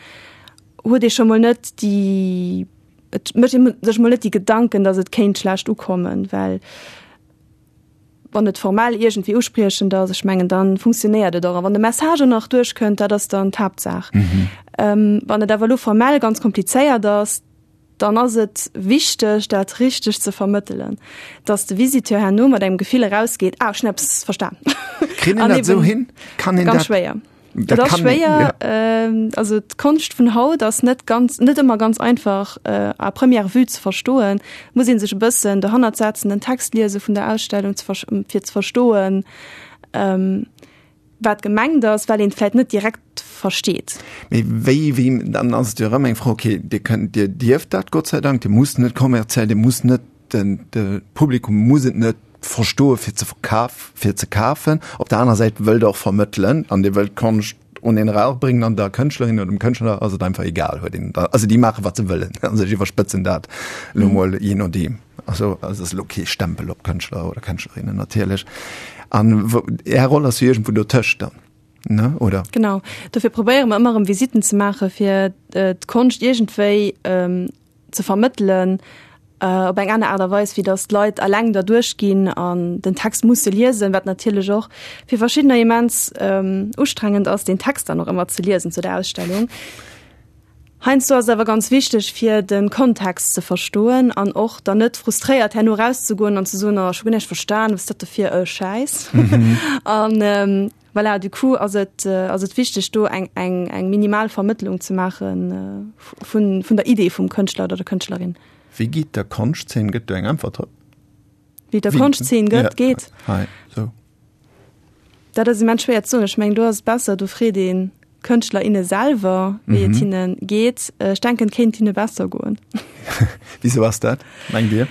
huet ee scho mol net déi, et mécht ee sech mol net déi Gedanken, datt et kéint schlecht ukommen, well wann et formell iergendwéi uspriechend ass, ech mengen dann funktionéiert et och. A wann de Message och nach duerchkënnt, dat ass dann d'Haaptsaach. Wann et awer elo formell ganz komplizéiert ass, dann ass et wichteg, dat richteg ze vermëttelen, dass de Visiteur herno mat engem Gefill erausgeet, ah, ech hunn eppes verstan. Kritt een dat esou hin? Kann een dat? Ganz schwéier. Dat ass schwéier. Ja. Also d'Konscht vun haut ass net ganz, net ëmmer ganz einfach à première vue ze verstoen. Muss ee sech e bëssen dohannert setzen, den Text liese vun der Ausstellung, fir ze verstoen, wat gemengt ass, well een et vläit net direkt versteet. Mee wéi, wéi, dann ass et jo erëm eng Fro, okay, Dir kënnt, Dir dierft dat Gott sei Dank, Dir musst net kommerziell, Dir musst net, den, de Publikum muss et net verstoe fir ze verkaf, fir ze kafen. Op der anerer Säit wëllt Der och vermëttelen an Dir wëllt d'Konscht un een eraurbréngen an der Kënschtlerin oder dem Kënschtler ass et einfach egal, huet een, also déi maache wat se wëllen, also ech iwwerspëtzen dat elo mol, jee nodeem. Also et ass elo kee Stempel op Kënschtler oder Kënschtlerinnen natierlech. An Är Roll ass jo iergendwou dotëscht dann, ne, oder? Genau, dofir probéiere mer ëmmer erëm Visitten ze maache fir d'Konscht iergendwéi ze vermëttelen. Op eng aner Aart a Weis, wéi datt d'Leit eleng derduerch ginn an den Text musse liesen, wat natierlech och fir verschiddener immens ustrengend ass, deen Text dann och ëmmer ze liesen zu der Ausstellung. Heiansdo ass et awer ganz wichteg, fir de Kontext ze verstoen an och dann net frustréiert herno erauszegoen an ze soen, oh ech hu guer näischt verstan, wat ass dat do fir e Schäiss? An voilà, du coup ass et, ass et wichteg, do eng, eng, eng minimal Vermëttlung ze maache vun, vun der Idee vum Kënschtler oder der Kënschtlerin. Wéi geet der Konschtzeen? Gëtt do eng Äntwert drop? Wéi der Konschtzeen gëtt, geet? Hei, sou. Dat ass immens schwéier ze soen. Ech mengen, do ass et besser, do freet een d'Kënschtler, inne selwer, wéi et hinne geet. Ech denken, et kéint hinne besser goen. Wisou ass dat, mengt Dir?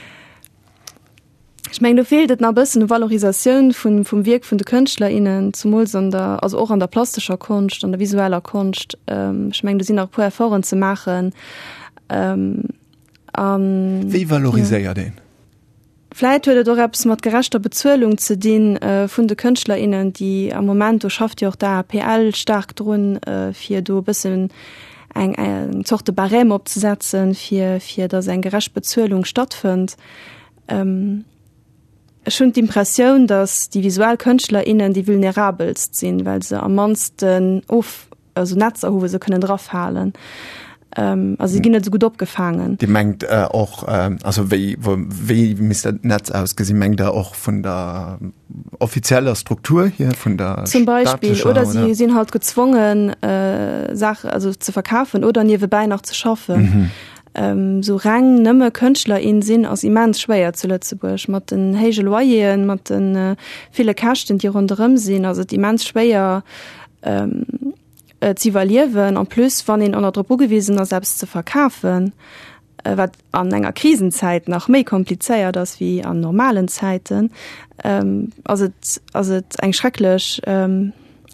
Ech mengen, do feelt et nach e bëssen u Valorisatioun vun, vum Wierk vun de Kënschtler, innen, zumools an der, also och an der plastescher Konscht, an der visueller Konscht. Ech mengen, do sinn nach e puer Efforten ze maachen. An. Wéi valoriséiert een? Vläit huet et och eppes mat gerechter Bezuelung ze dinn vun de Kënschtler, innen, déi am Moment, do schafft jo och d'AAPL staark drun, fir do e bëssen eng, eng Zorte Barème opzesetzen, fir, fir datt eng gerecht Bezuelung stattfënnt. Ech hunn d'Impressioun, datt déi visuell Kënschtler, innen déi vulnerabelst sinn, well se am mannsten of, also Netzer hu wou se kënnen drafalen. Also si ginn net esou gutt opgefaangen. Dir mengt och, also wéi, wéi misst dat Netz ausgesinn? Mengt Der och vun der offizieller Struktur hier, vun der Zum Beispill, oder si sinn halt gezwongen Saachen, also ze verkafen oder niewebäi nach ze schaffen. Sou reng nëmme Kënschtler, in sinn ass immens schwéier zu Lëtzebuerg. Mat den héije Loyeren, mat de ville Käschten, déi ronderëm sinn, ass et immens schwéier z'iwwerliewen. En plus, wann een och nach drop ugewisen ass, eppes ze verkafen, wat an enger Krisenzäit nach méi komplizéiert ass wéi an normalen Zäiten, ass et ass et eng schrecklech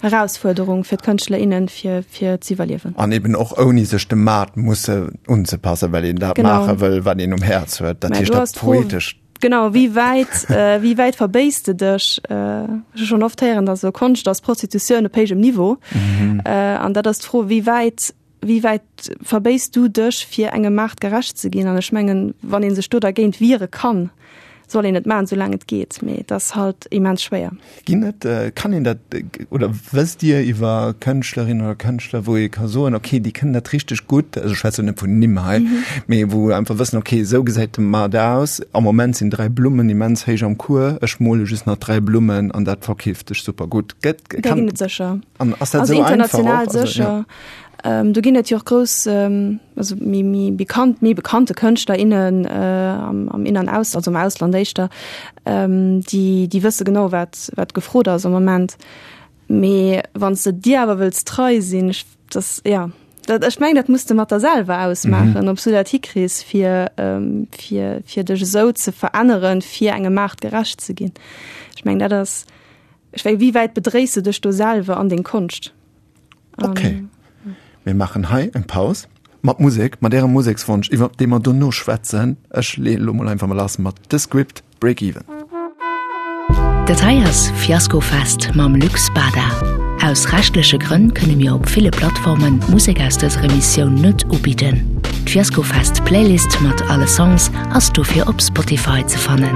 Erausfuerderung fir d'Kënschtler, innen, fir fir z'iwwerliewen. An eben och ouni sech dem Maart musse unzepassen, well een dat maache wëll, wat een um Häerz huet. Dat heescht dat Poetescht. Genau, wéi wäit, wéi wäit verbéiss de dech? Ech hu schonn oft héieren, datt esou Konscht ass Prostitutioun op héijem Niveau. An dat ass d'Fro, wéi wäit Wéi wäit verbéiss du dech, fir engem Maart gerecht ze ginn? An ech mengen, wann ee sech do dergéint wiere kann, soll een et maachen, soulaang et geet. Mee et ass halt immens schwéier. Ginn et, kann een dat, oder wësst Dir iwwer Kënschtlerinnen oder Kënschtler, wou ee ka soen, okay, déi kënnen dat richteg gutt, also ech schwätzen net vun Nimm hei, mee wou einfach wëssen, okay, esou gesäit de Maart aus, am Moment sinn 3 Blummen immens héich am Cours, ech mole just nach 3 Blummen an dat verkeeft sech super gutt. Gëtt, kann. Där ginn et sécher. An ass dat esou einfach och? Also international sécher. Do ginn et jo och grouss, also méi, méi bekannt, méi bekannte Kënschtler, innen am, am In an Aus, also am Ausland éischter, déi, déi wësse genau, wat, wat gefrot ass am Moment. Mee wann s de dir awer wëlls trei sinn, ech, dass, ja, dat, ech mengen, dat muss de mat der selwer ausmaachen, ob s du dat hikriss, fir, fir, fir dech esou ze veränneren, fir engem Maart gerecht ze ginn. Ech mengen, dat ass, ech wéi, wéi wäit bedréis de dech do selwer an deng Konscht? Okay. Mir maachen hei eng Paus mat Musek, mat Ärem Musekswonsch, iwwer dee mer dono schwätzen. Ech leeën elo mol einfach mol lass mat The Script, Break Even. Dat hei ass Fiaskofest mam Luc Spada. Aus rechtleche Grënn kënne mir op ville Plattformen d'Musek aus dëser Emissioun net ubidden. D'Fiaskofest Playlist mat alle Songs ass dofir op Spotify ze fannen.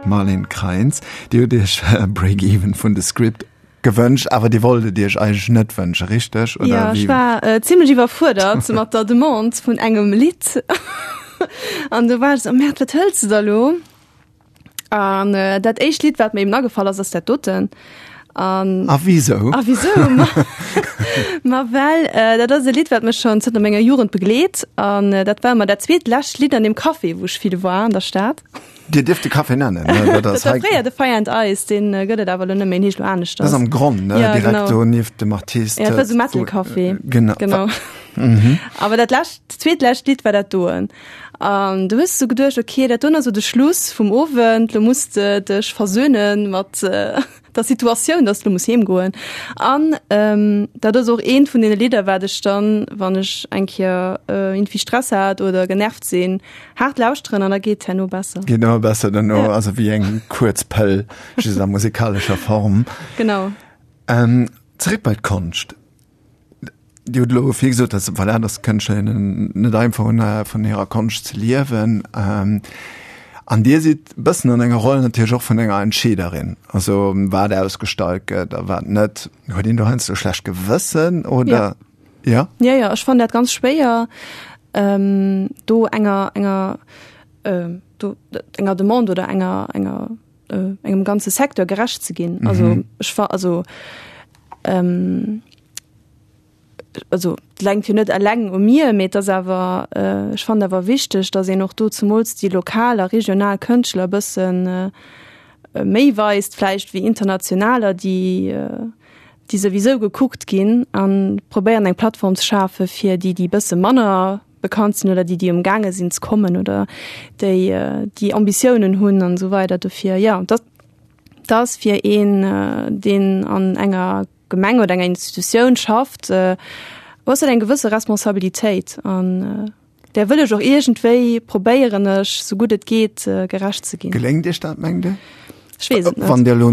Marlene Kreins, Dir hutt Iech Break Even vun The Script gewënscht, awer Dir wollt et Iech eigentlech net wënschen, richteg? Oder ja, ech war äh, zimmlech iwwerfuerdert mat der Demande vun engem Lidd. An du war ech so, Merd, wat hëls du da lo? An äh, dat éischt Lidd, wat mir eben agefall ass, ass dat doten. An, A wisou? A wisou? Ma, ma well äh, dat ass e Lidd, wat mech schon zënter menger Jugend begleet. An äh, dat war ëmmer dat zweet lescht Lidd an dem Café, wou ech vill war an der Stad. Dir dierft de Café nennen, ne? Dat ass hei. Fréier de Fire and Ice, deen gëtt et awer elo net méi, en heescht elo aneschters. Dat ass am Gronn, ne? Ja, Direkt do nieft dem Artist. Ja, dat war sou Metal-Café. Genau. Genau. Mhm. Awer dat lescht, zweetlescht Lidd war dat doen. An du hues sou geduecht, okay, dat doen ass sou de Schluss vum Owend, lo muss de dech versöhnen mat der Situatioun, dass du muss heem goen. An ähm, dat ass och eent vun den Lidder, wat ech dann, wann ech eng Kéier äh, irgendwie Stress hat oder genervt sinn, haart lauschteren an da geet herno besser. Geet ëmmer besser duerno, ja. Also wéi eng kuerz Pëll, just a musikalescher Form. Genau. Ähm, zeréck bei d'Konscht. Dir hutt elo vill gesot, dass, voilà, dass d'Kënschtlerinnen net einfach hunn, vun hirer Konscht ze liewen. An Dir sidd e bëssen an enger Roll natierlech och vun enger Entscheederin, also wat ausgestallt gëtt a wat net. Huet een do heiansdo e schlecht Gewëssen oder? Ja. Ja, ja, ech fannen dat ganz schwéier, do enger, enger, do enger Demande oder enger, enger, engem ganze Secteur gerecht ze ginn. Also ech fa also also et lenkt jo net eleng u mir, mee et ass awer, ech fannen awer wichteg, datt een och do zemools déi lokal a regional Kënschtler e bësse méi weist vläicht wéi internationaler, déi déi souwisou gekuckt ginn a probéieren eng Plattform ze schafe fir déi, déi e bësse manner bekannt sinn oder déi, déi umgaange sinn ze kommen oder déi déi Ambitiounen hunn an esou weider. Dofir jo, dat ass fir een, deen an enger Gemeng oder enger Institutioun schafft, hues dat eng gewësse Responsabilitéit an där wëll ech och iergendwéi probéieren ech sou gutt et geet gerecht ze ginn. Geléngt Iech dat, mengt Dir? Ech weess et net. Wann Dir elo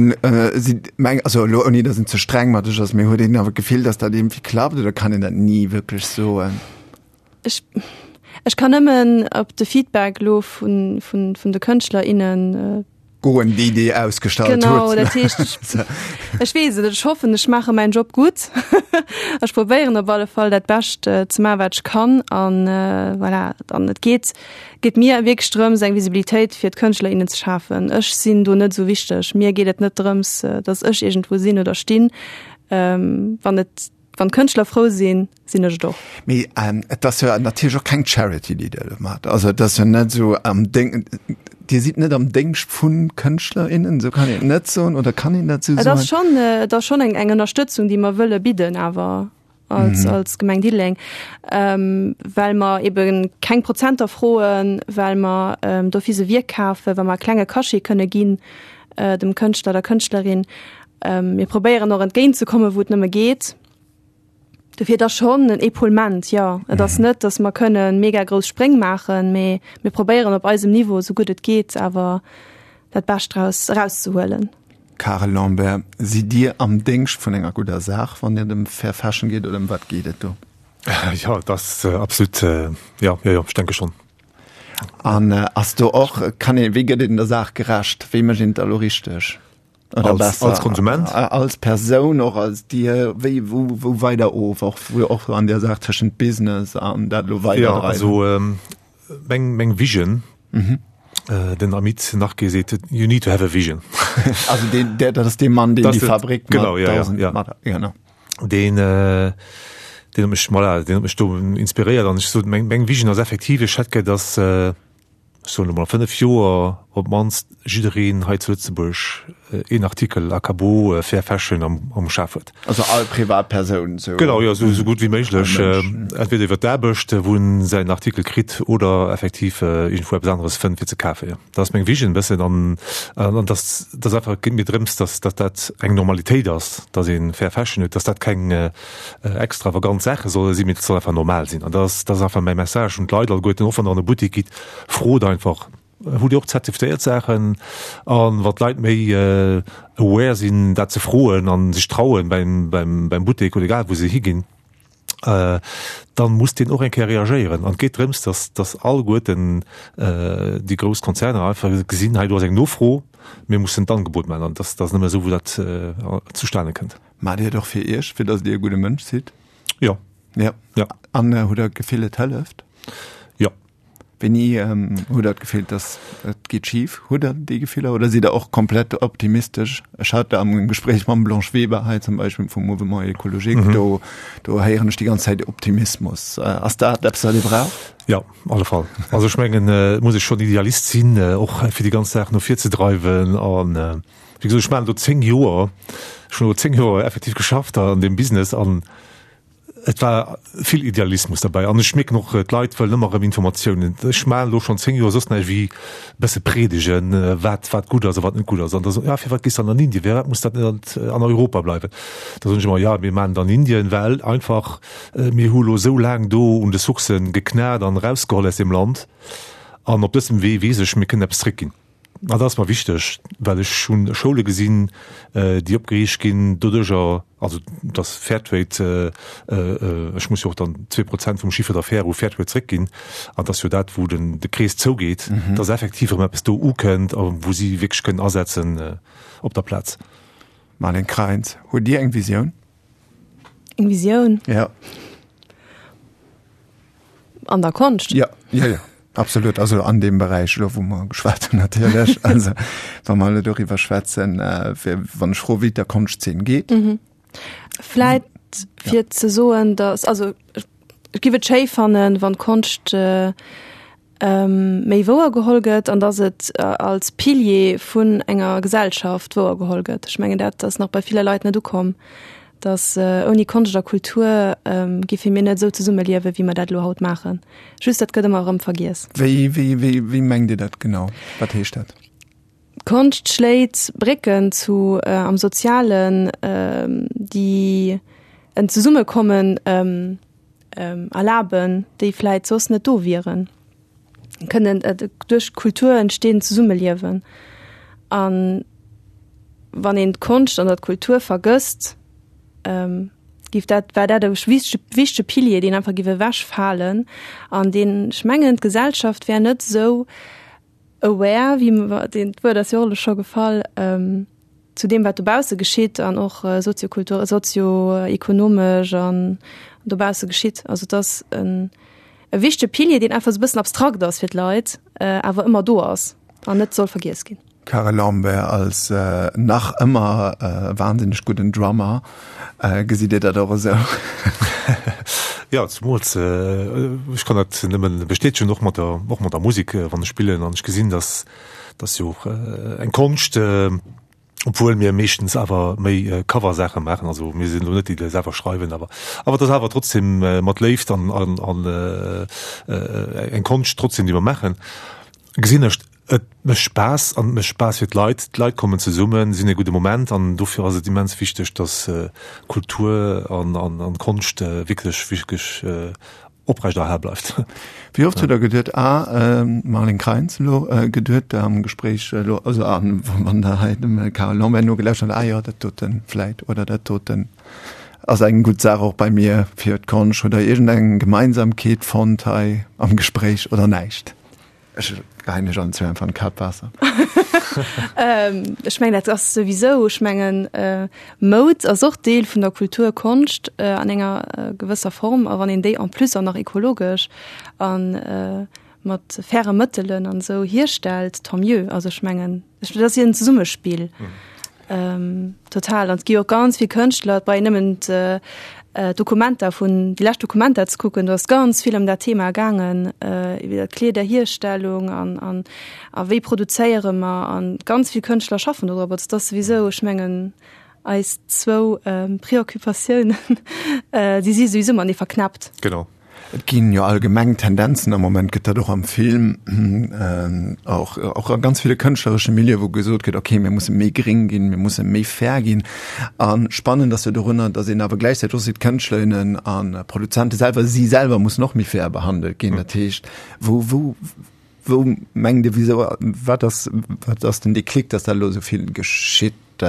sidd, meng, also elo ouni datt een ze streng mat sech ass, mee huet een awer d'Gefill, datt dat iergendwéi klappt oder kann een dat ni wierklech soen? Ech, ech kann nëmmen op de Feedback elo vun, vun, vun de Kënschtler, innen Goen, déi Dir ausgestallt hutt. Genau, dat heescht, ech, ech weess et net, ech hoffen, ech maache mäin Job gutt. Ech probéieren op alle Fall dat Bescht ze maachen, wat ech kann. An voilà, an et geet, geet mir wierklech drëms, eng Visibilitéit fir d'Kënschtler, innen ze schafen. Ech sinn do net esou wichteg. Mir geet et net drëms, datt ech iergendwou sinn oder stinn. Wann et Wann d'Kënschtler frou sinn, sinn ech et och. Mee et ass jo natierlech och keng Charity, déi Dir do maacht. Also et ass jo net esou am Déng, Dir sidd net am Déngscht vu Kënschtler, innen, esou kann een et net soen, oder kann een dat esou soen? Et ass schonn, et ass schonn eng, eng Ënnerstëtzung, déi mer wëlle bidden awer als, als Gemeng Diddeleng, well mer ebe keng Prozenter froen, well mer d'office e Wierk kafen, well mer e klenge Cachet kënne ginn dem Kënschtler, der Kënschtlerin. Mir probéieren och entgéint ze kommen, wou et nëmme geet. Dofir et ass schonn en Epaulement, jo. Et ass net, datt mer kënne mega grouss Spréng maachen, mee mir probéieren op eisem Niveau, esou gutt et geet, awer dat Bescht draus erauszehuelen. Karel Lambert, Sidd Dir am Déngscht vun enger gudder Saach, wann et ëm Fair Fashion geet, oder ëm wat geet et do? Jo, et ass absolut, jo, jo, jo, ech denke schonn. An ass do och, kann een, wéi gëtt een der Saach gerecht? Wéi mécht een et da elo richteg? Oder als, besser? Als Konsument? Als Persoun, och als Dir, wéi, wou, wou weider of, och, wou och an der Saach tëschent Business an dat elo weider Ja, also ähm, meng, meng Vision, mhm. äh, den Amit Narke seet, you need to have a vision. also den, der, dat ass dee Mann, deen déi Fabrik genau, ja, ja, ja. Mat, genau. Den, äh, den huet mech, voilà, den huet mech do inspiréiert an ech sot, meng, meng Vision ass effektiv, ech hätt gär, dass, äh, ech soen elo mol, 5 Joer op d'mannst jiddereen hei zu Lëtzebuerg een Artikel Akabo Fair Fashion am, am Schaf huet. Also all Privatpersoun esou? Genau, jo, esou gutt wéi méiglech. Entweder iwwer d'Aarbecht, wou en säin Artikel kritt, oder effektiv iergendwou eppes aneres fënnt fir ze kafen, jo. Dat ass meng Vision e bëssen an, an dass, dass einfach, et geet mir drëms, dass, dass dat eng Normalitéit ass, dass ee Fair Fashion huet, dass dat keng extravagant Saache solle sinn, mee et soll einfach normal sinn. An dat ass, dat ass einfach mäi Message un d'Leit alleguerten, och wann Der an e Buttek gitt, frot einfach, Hutt Dir och zertifiéiert Saachen? A wann d'Leit méi aware sinn, dat ze froen a sech trauen beim, beim, beim Buttek oder egal wou se higinn, dann muss deen och eng Kéier reagéieren. An et geet drëms, dass, dass alleguerten déi grouss Konzerner einfach gesinn, hei do ass eng Nofro, mir mussen d'Angebot maachen. An dat ass nëmme esou, wou dat zustane kënnt. Maacht Dir et och fir Iech, fir datt Dir e gudde Mënsch sidd? Jo. Ja. Ja. An äh, hutt Der d'Gefill, et hëlleft? Jo. Wéini ähm, hutt Der d'Gefill, datt et geet schif? Hutt Der déi Gefiller oder sidd Der och komplett optimistesch? Ech hat am Gespréich mam Blanche Weber hei zum Beispill vum Mouvement Écologique, mhm. do, do héieren ech déi ganz Zäit Optimismus. Äh, ass dat eppes, wat Dir braucht? Ja, alle Fall. Also ech mengen, äh, muss ech schon Idealist sinn, äh, och fir déi ganz Saach no vir ze dreiwen an äh, Wéi gesot, ech maachen do 10 Joer, ech hunn elo 10 Joer effektiv geschafft an deem Business an et war vill Idealismus derbäi. An ech mierken och, d'Leit wëllen ëmmer erëm Informatiounen. Ech maachen elo schonn 10 Joer soss näischt wéi e bësse predigen, wat wat gutt ass a wat net gutt ass. An da soen, ja firwat gees de dann an Indien, firwat muss dat net an Europa bleiwen? Da soen ech ëmmer, ja mir maachen et an Indien, well einfach mir hu elo esou laang do un de Sourcë geknat an erausgeholl aus deem Land an op dësem Wee weess ech, mir kënnen eppes zréckginn. An dat ass mer wichteg, well ech hu Schoule gesinn, déi opgeriicht ginn doduercher, also dass Fairtrade, ech muss jo och dann 2% vum Chiffre d'affaires u Fairtrade zréckginn, an dat ass jo dat, wou den de Krees zougeet, dass effektiv erëm eppes do ukënnt a wou si wierklech kënnen asetzen op der Plaz. Marlène Kreins, hutt Dir eng Visioun? Eng Visioun? Ja. An der Konscht? Ja, ja, ja. Absolut, also an deem Beräich elo, wou mer geschwat hunn natierlech. Also wa mer elo doriwwer schwätzen, äh, fir, wann ech froe wéi et der Konschtzeen geet. Mhm. Vläit fir ja. ze soen, dass also ech giff et schéi fannen, wann d'Konscht äh, méi wouer geholl gëtt an dass et als Pilier vun enger Gesellschaft wouer geholl gëtt. Ech mengen dat ass nach bei ville Leit net ukomm, dass ouni Konscht a Kultur giffe mir net esou zesumme liewen, wéi mer dat elo haut maachen. Just dat gëtt ëmmer erëm vergiess. Wéi, wéi, wéi, wéi mengt Dir dat genau? Wat heescht dat? D'Konscht schléit Brécken zu am Sozialen, déi en Zesummekommen erlaben, déi vläit soss net do wieren. Kënnen duerch d'Kultur entstinn Zesummeliewen. An wann een d'Konscht an der d'Kultur vergësst, giff dat, war dat e wichtege Pilier, deen einfach giff ewechfalen an deen, ech mengen, d'Gesellschaft wär net esou aware, wéi mer, deen, d'Wuert ass jo och elo scho gefall, zu deem wat dobausse geschitt an och soziokultur-, sozioekonomesch an dobausse geschitt. Also et ass en e wichtege Pilier, deen einfach esou e bëssen abstrakt ass fir d'Leit, awer ëmmer do ass an net soll vergiess ginn. Karel Lambert als nach ëmmer wahnsinneg gudden Drummer, gesitt Dir dat och esou? Jo, zemools, ech kann dat nëmmen bestätegen, och mat der, och mat der Musek, wann ech spillen an ech gesinn, dass, dass jo och eng Konscht, obwuel mir meeschtens awer méi Cover-Saache maachen, also mir sinn elo net déi, déi selwer schreiwen, awer, awer et ass awer trotzdem mat Léift an, an, an eng Konscht trotzdem, déi mer maachen, gesinn ech, Et mécht Spaass an et mécht Spaass fir d'Leit. D'Leit kommen zesummen, si hunn e gudde Moment an dofir ass et immens wichteg, dass Kultur an Konscht wierklech, wierklech oprecht erhal bleift. Wéi oft hutt Der geduet, ah, Marlène Kreins elo geduet am Gespréich elo, also wann Der hei dem Carole Lambert nogelauschtert hutt, ah jo, dat doten vläit oder dat doten ass eng gutt Saach och bei mir fir d'Konscht. Hutt Der iergendeng Gemeinsamkeet fonnt hei am Gespréich oder näischt? Ech geheien lech allen zwee einfach en Kap Waasser. Ech mengen dat ass souwisou, ech mengen Moud ass och Deel vun der Kultur, Konscht an enger gewësser Form a wann een déi en plus och nach ekologesch a mat faire Mëttelen an esou hierstellt, tant mieux. Also ech mengen dat ass jo en Zesummespill. Total. An et gi jo och ganz vill Kënschtler, et brauch een nëmmen d'Dokumenta vun, déi lescht Dokumenta ze kucken, do ass ganz vill ëm dat Thema gaangen, iwwer d'Kleederhierstellung an, an, a wéi produzéiere mer an ganz vill Kënschtler schaffen do drop. Also et ass souwisou, ech mengen, eis zwou Preoccupatiounen, déi si souwisou matenee verknäppt. Genau. Et ginn jo allgemeng Tendenzen, am Moment gëtt dat och am Film, och och a ganz ville kënschtleresche Milieue wou gesot gëtt, okay mir musse méi gréng ginn, mir musse méi fair ginn. A spannend ass jo dorunner, datt een awer gläichzäiteg och seet, Kënschtlerinnen a Produzente selwer, si selwer mussen och méi fair behandelt ginn. Dat heescht, wou wou wou mengt Dir, wisou wat ass wat ass den Déclic, datt dat elo esou vill geschitt?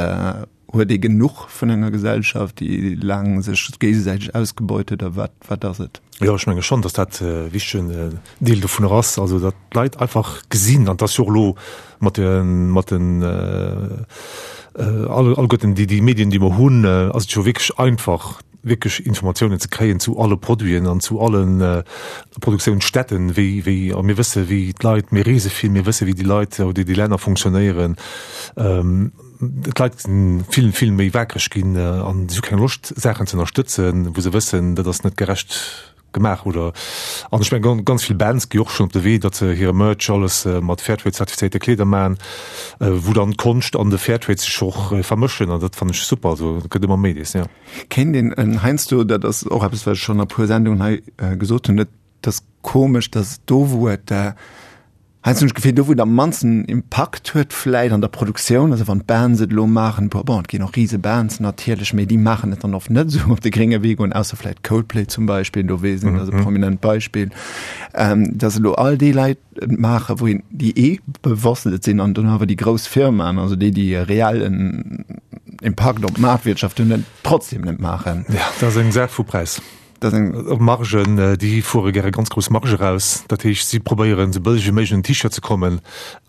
Huet ee genuch vun enger Gesellschaft, déi laang sech géigesäiteg ausgebeut huet, oder wat, wat ass et? Jo, ech menge schonn, datt dat e wichtegen Deel dovunner ass, also datt d'Leit einfach gesinn, an et ass jo och elo mat de, mat den alleguerten déi, déi Medien, déi mer hunn, ass et jo wierklech einfach, wierklech Informatiounen ze kréien zu alle Produiten an zu alle Produktiounsstätten, wéi, wéi, a mir wësse wéi d'Leit, mir reese vill, mir wësse wéi déi Leit oder déi Länner funktionéieren. D'Leit sinn vill, vill méi wakereg ginn an si hu keng Loscht Saachen ze ënnerstëtzen, wou se wëssen, dat ass net gerecht gemaach oder an ech mengen ganz vill Bands gi och schonn op de Wee, datt se hire Merch alles mat Fairtrade-zertifizéierte Kleeder maachen, wou dann d'Konscht an de Fairtrade sech och vermëschen an dat fannen ech super. Also et gëtt ëmmer méi dees, jo. Kéint een heiansdo, dat ass och eppes wat ech schonn a puer Sendungen hei gesot hunn, et ass komesch, datt do wou et. Heiansdo hunn ech d'Gefill, do wou et am mannsten Impakt huet vläit an der Produktioun, also wann d'Bands et elo maachen, bon, et ginn och rise Bands natierlech, mee déi maachen et dann oft net esou op de grénge Wee goen, ausser vläit Coldplay zum Beispill, do weess een, dat ass e prominent Beispill, dass elo all déi Leit et maachen, wou een, déi eh bewosst et sinn an dann awer déi grouss Firmaen, also déi, déi e reellen Impakt op d'Maartwirtschaft hunn, et trotzdem net maachen. Jo, dat ass eng Saach vu Präis. Dat eng. Margen, déi fuere gäre ganz grouss Marge raus. Dat heescht, si probéieren esou bëlleg wéi méiglech un den T-Shirt ze kommen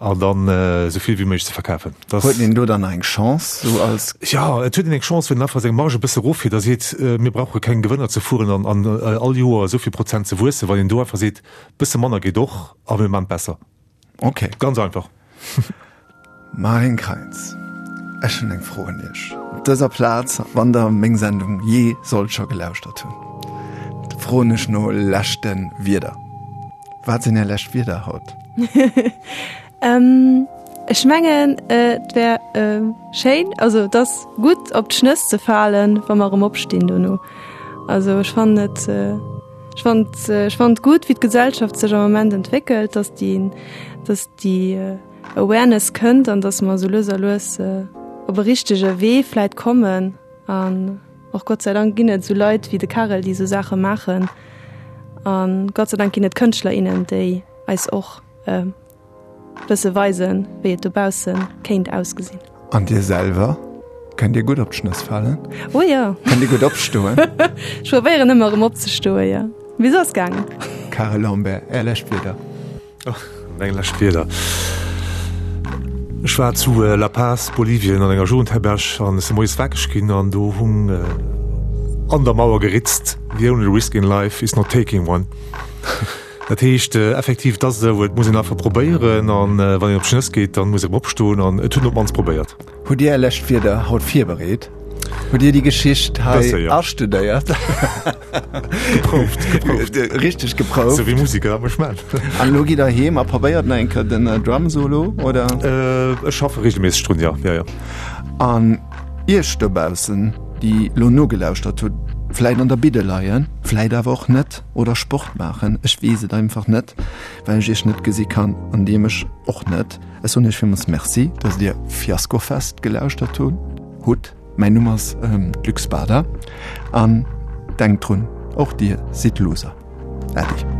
an dann esou vill wéi méiglech ze verkafen. Dat. Huet een do dann nach eng Chance esou als. Jo, et huet een eng Chance, wann een einfach seng Marge e bësse eroffiert a seet, mir brauche keng Gewënner ze fueren an an all Joer esou vill Prozent ze wuessen. Wann een do einfach seet, bësse manner geet och a mir maachen et besser. Ok. Ganz einfach. Marine Kreins, ech hunn eng Fro un Iech. Op dëser Plaz, wann Der meng Sendung jee sollt scho gelauschtert hunn, froen ech no leschte Wierder. Wat sinn Är lescht Wierder haut? Ech mengen, et wär schéin, also et ass gutt op d'Schnëss ze falen, wa mer erëm opstinn dono. Also ech fannen et, ech fannen et, ech fannen et gutt, wéi d'Gesellschaft sech am Moment entwéckelt, dass déi, dass déi Awareness kënnt an dass mer esou lues a lues op e richtege Wee vläit kommen. An och Gott sei Dank ginn et esou Leit wéi de Karel, déi esou Saache maachen. A Gott sei Dank ginn et Kënschtler, innen, déi eis och bësse weisen, wéi et dobausse kéint ausgesinn. An Dir selwer, kënnt Dir gutt op d'Schnëss falen? Oh jo. Kënnt Dir gutt opstoen? Ech probéieren ëmmer erëm opzestoen, jo. Mee se ass gaangen. Karel Lambert, Är lescht Wierder? Oh, meng lescht Wierder. Ech war zu La Paz, Bolivien, an enger Jugendherberg an ech si moies wakereg ginn an do hung an der Mauer geritzt, The only risk in life is not taking one. Dat heescht effektiv, et ass esou, et muss een einfach probéieren an wann een op d'Schnëss geet, dann muss een erëm opstoen an et huet een op d'mannst probéiert. Hutt Dir Är lescht Wierder haut virbereet? Hutt Dir déi Geschicht hei astudéiert? Geprouft, geprouft. Richteg geprouft. Sou wéi Musiker dat mech man. An elo gitt Der heem a probéiert nach eng Kéier den Drum-Solo, oder? Ech schaffe reegelméisseg drun, jo, jo, jo. An Iech dobaussen, déi elo nogelauschtert hutt, vläit an der Bidde leien, vläit awer och net, oder Sport maachen, ech weess et einfach net, well ech iech net gesi kann an dir mech och net. Ech soen iech villmools Merci, dass dir Fiaskofest gelauschtert hutt. Mäin Numm ass Luc Spada an denkt drun, och dir sidd Loser. Äddi.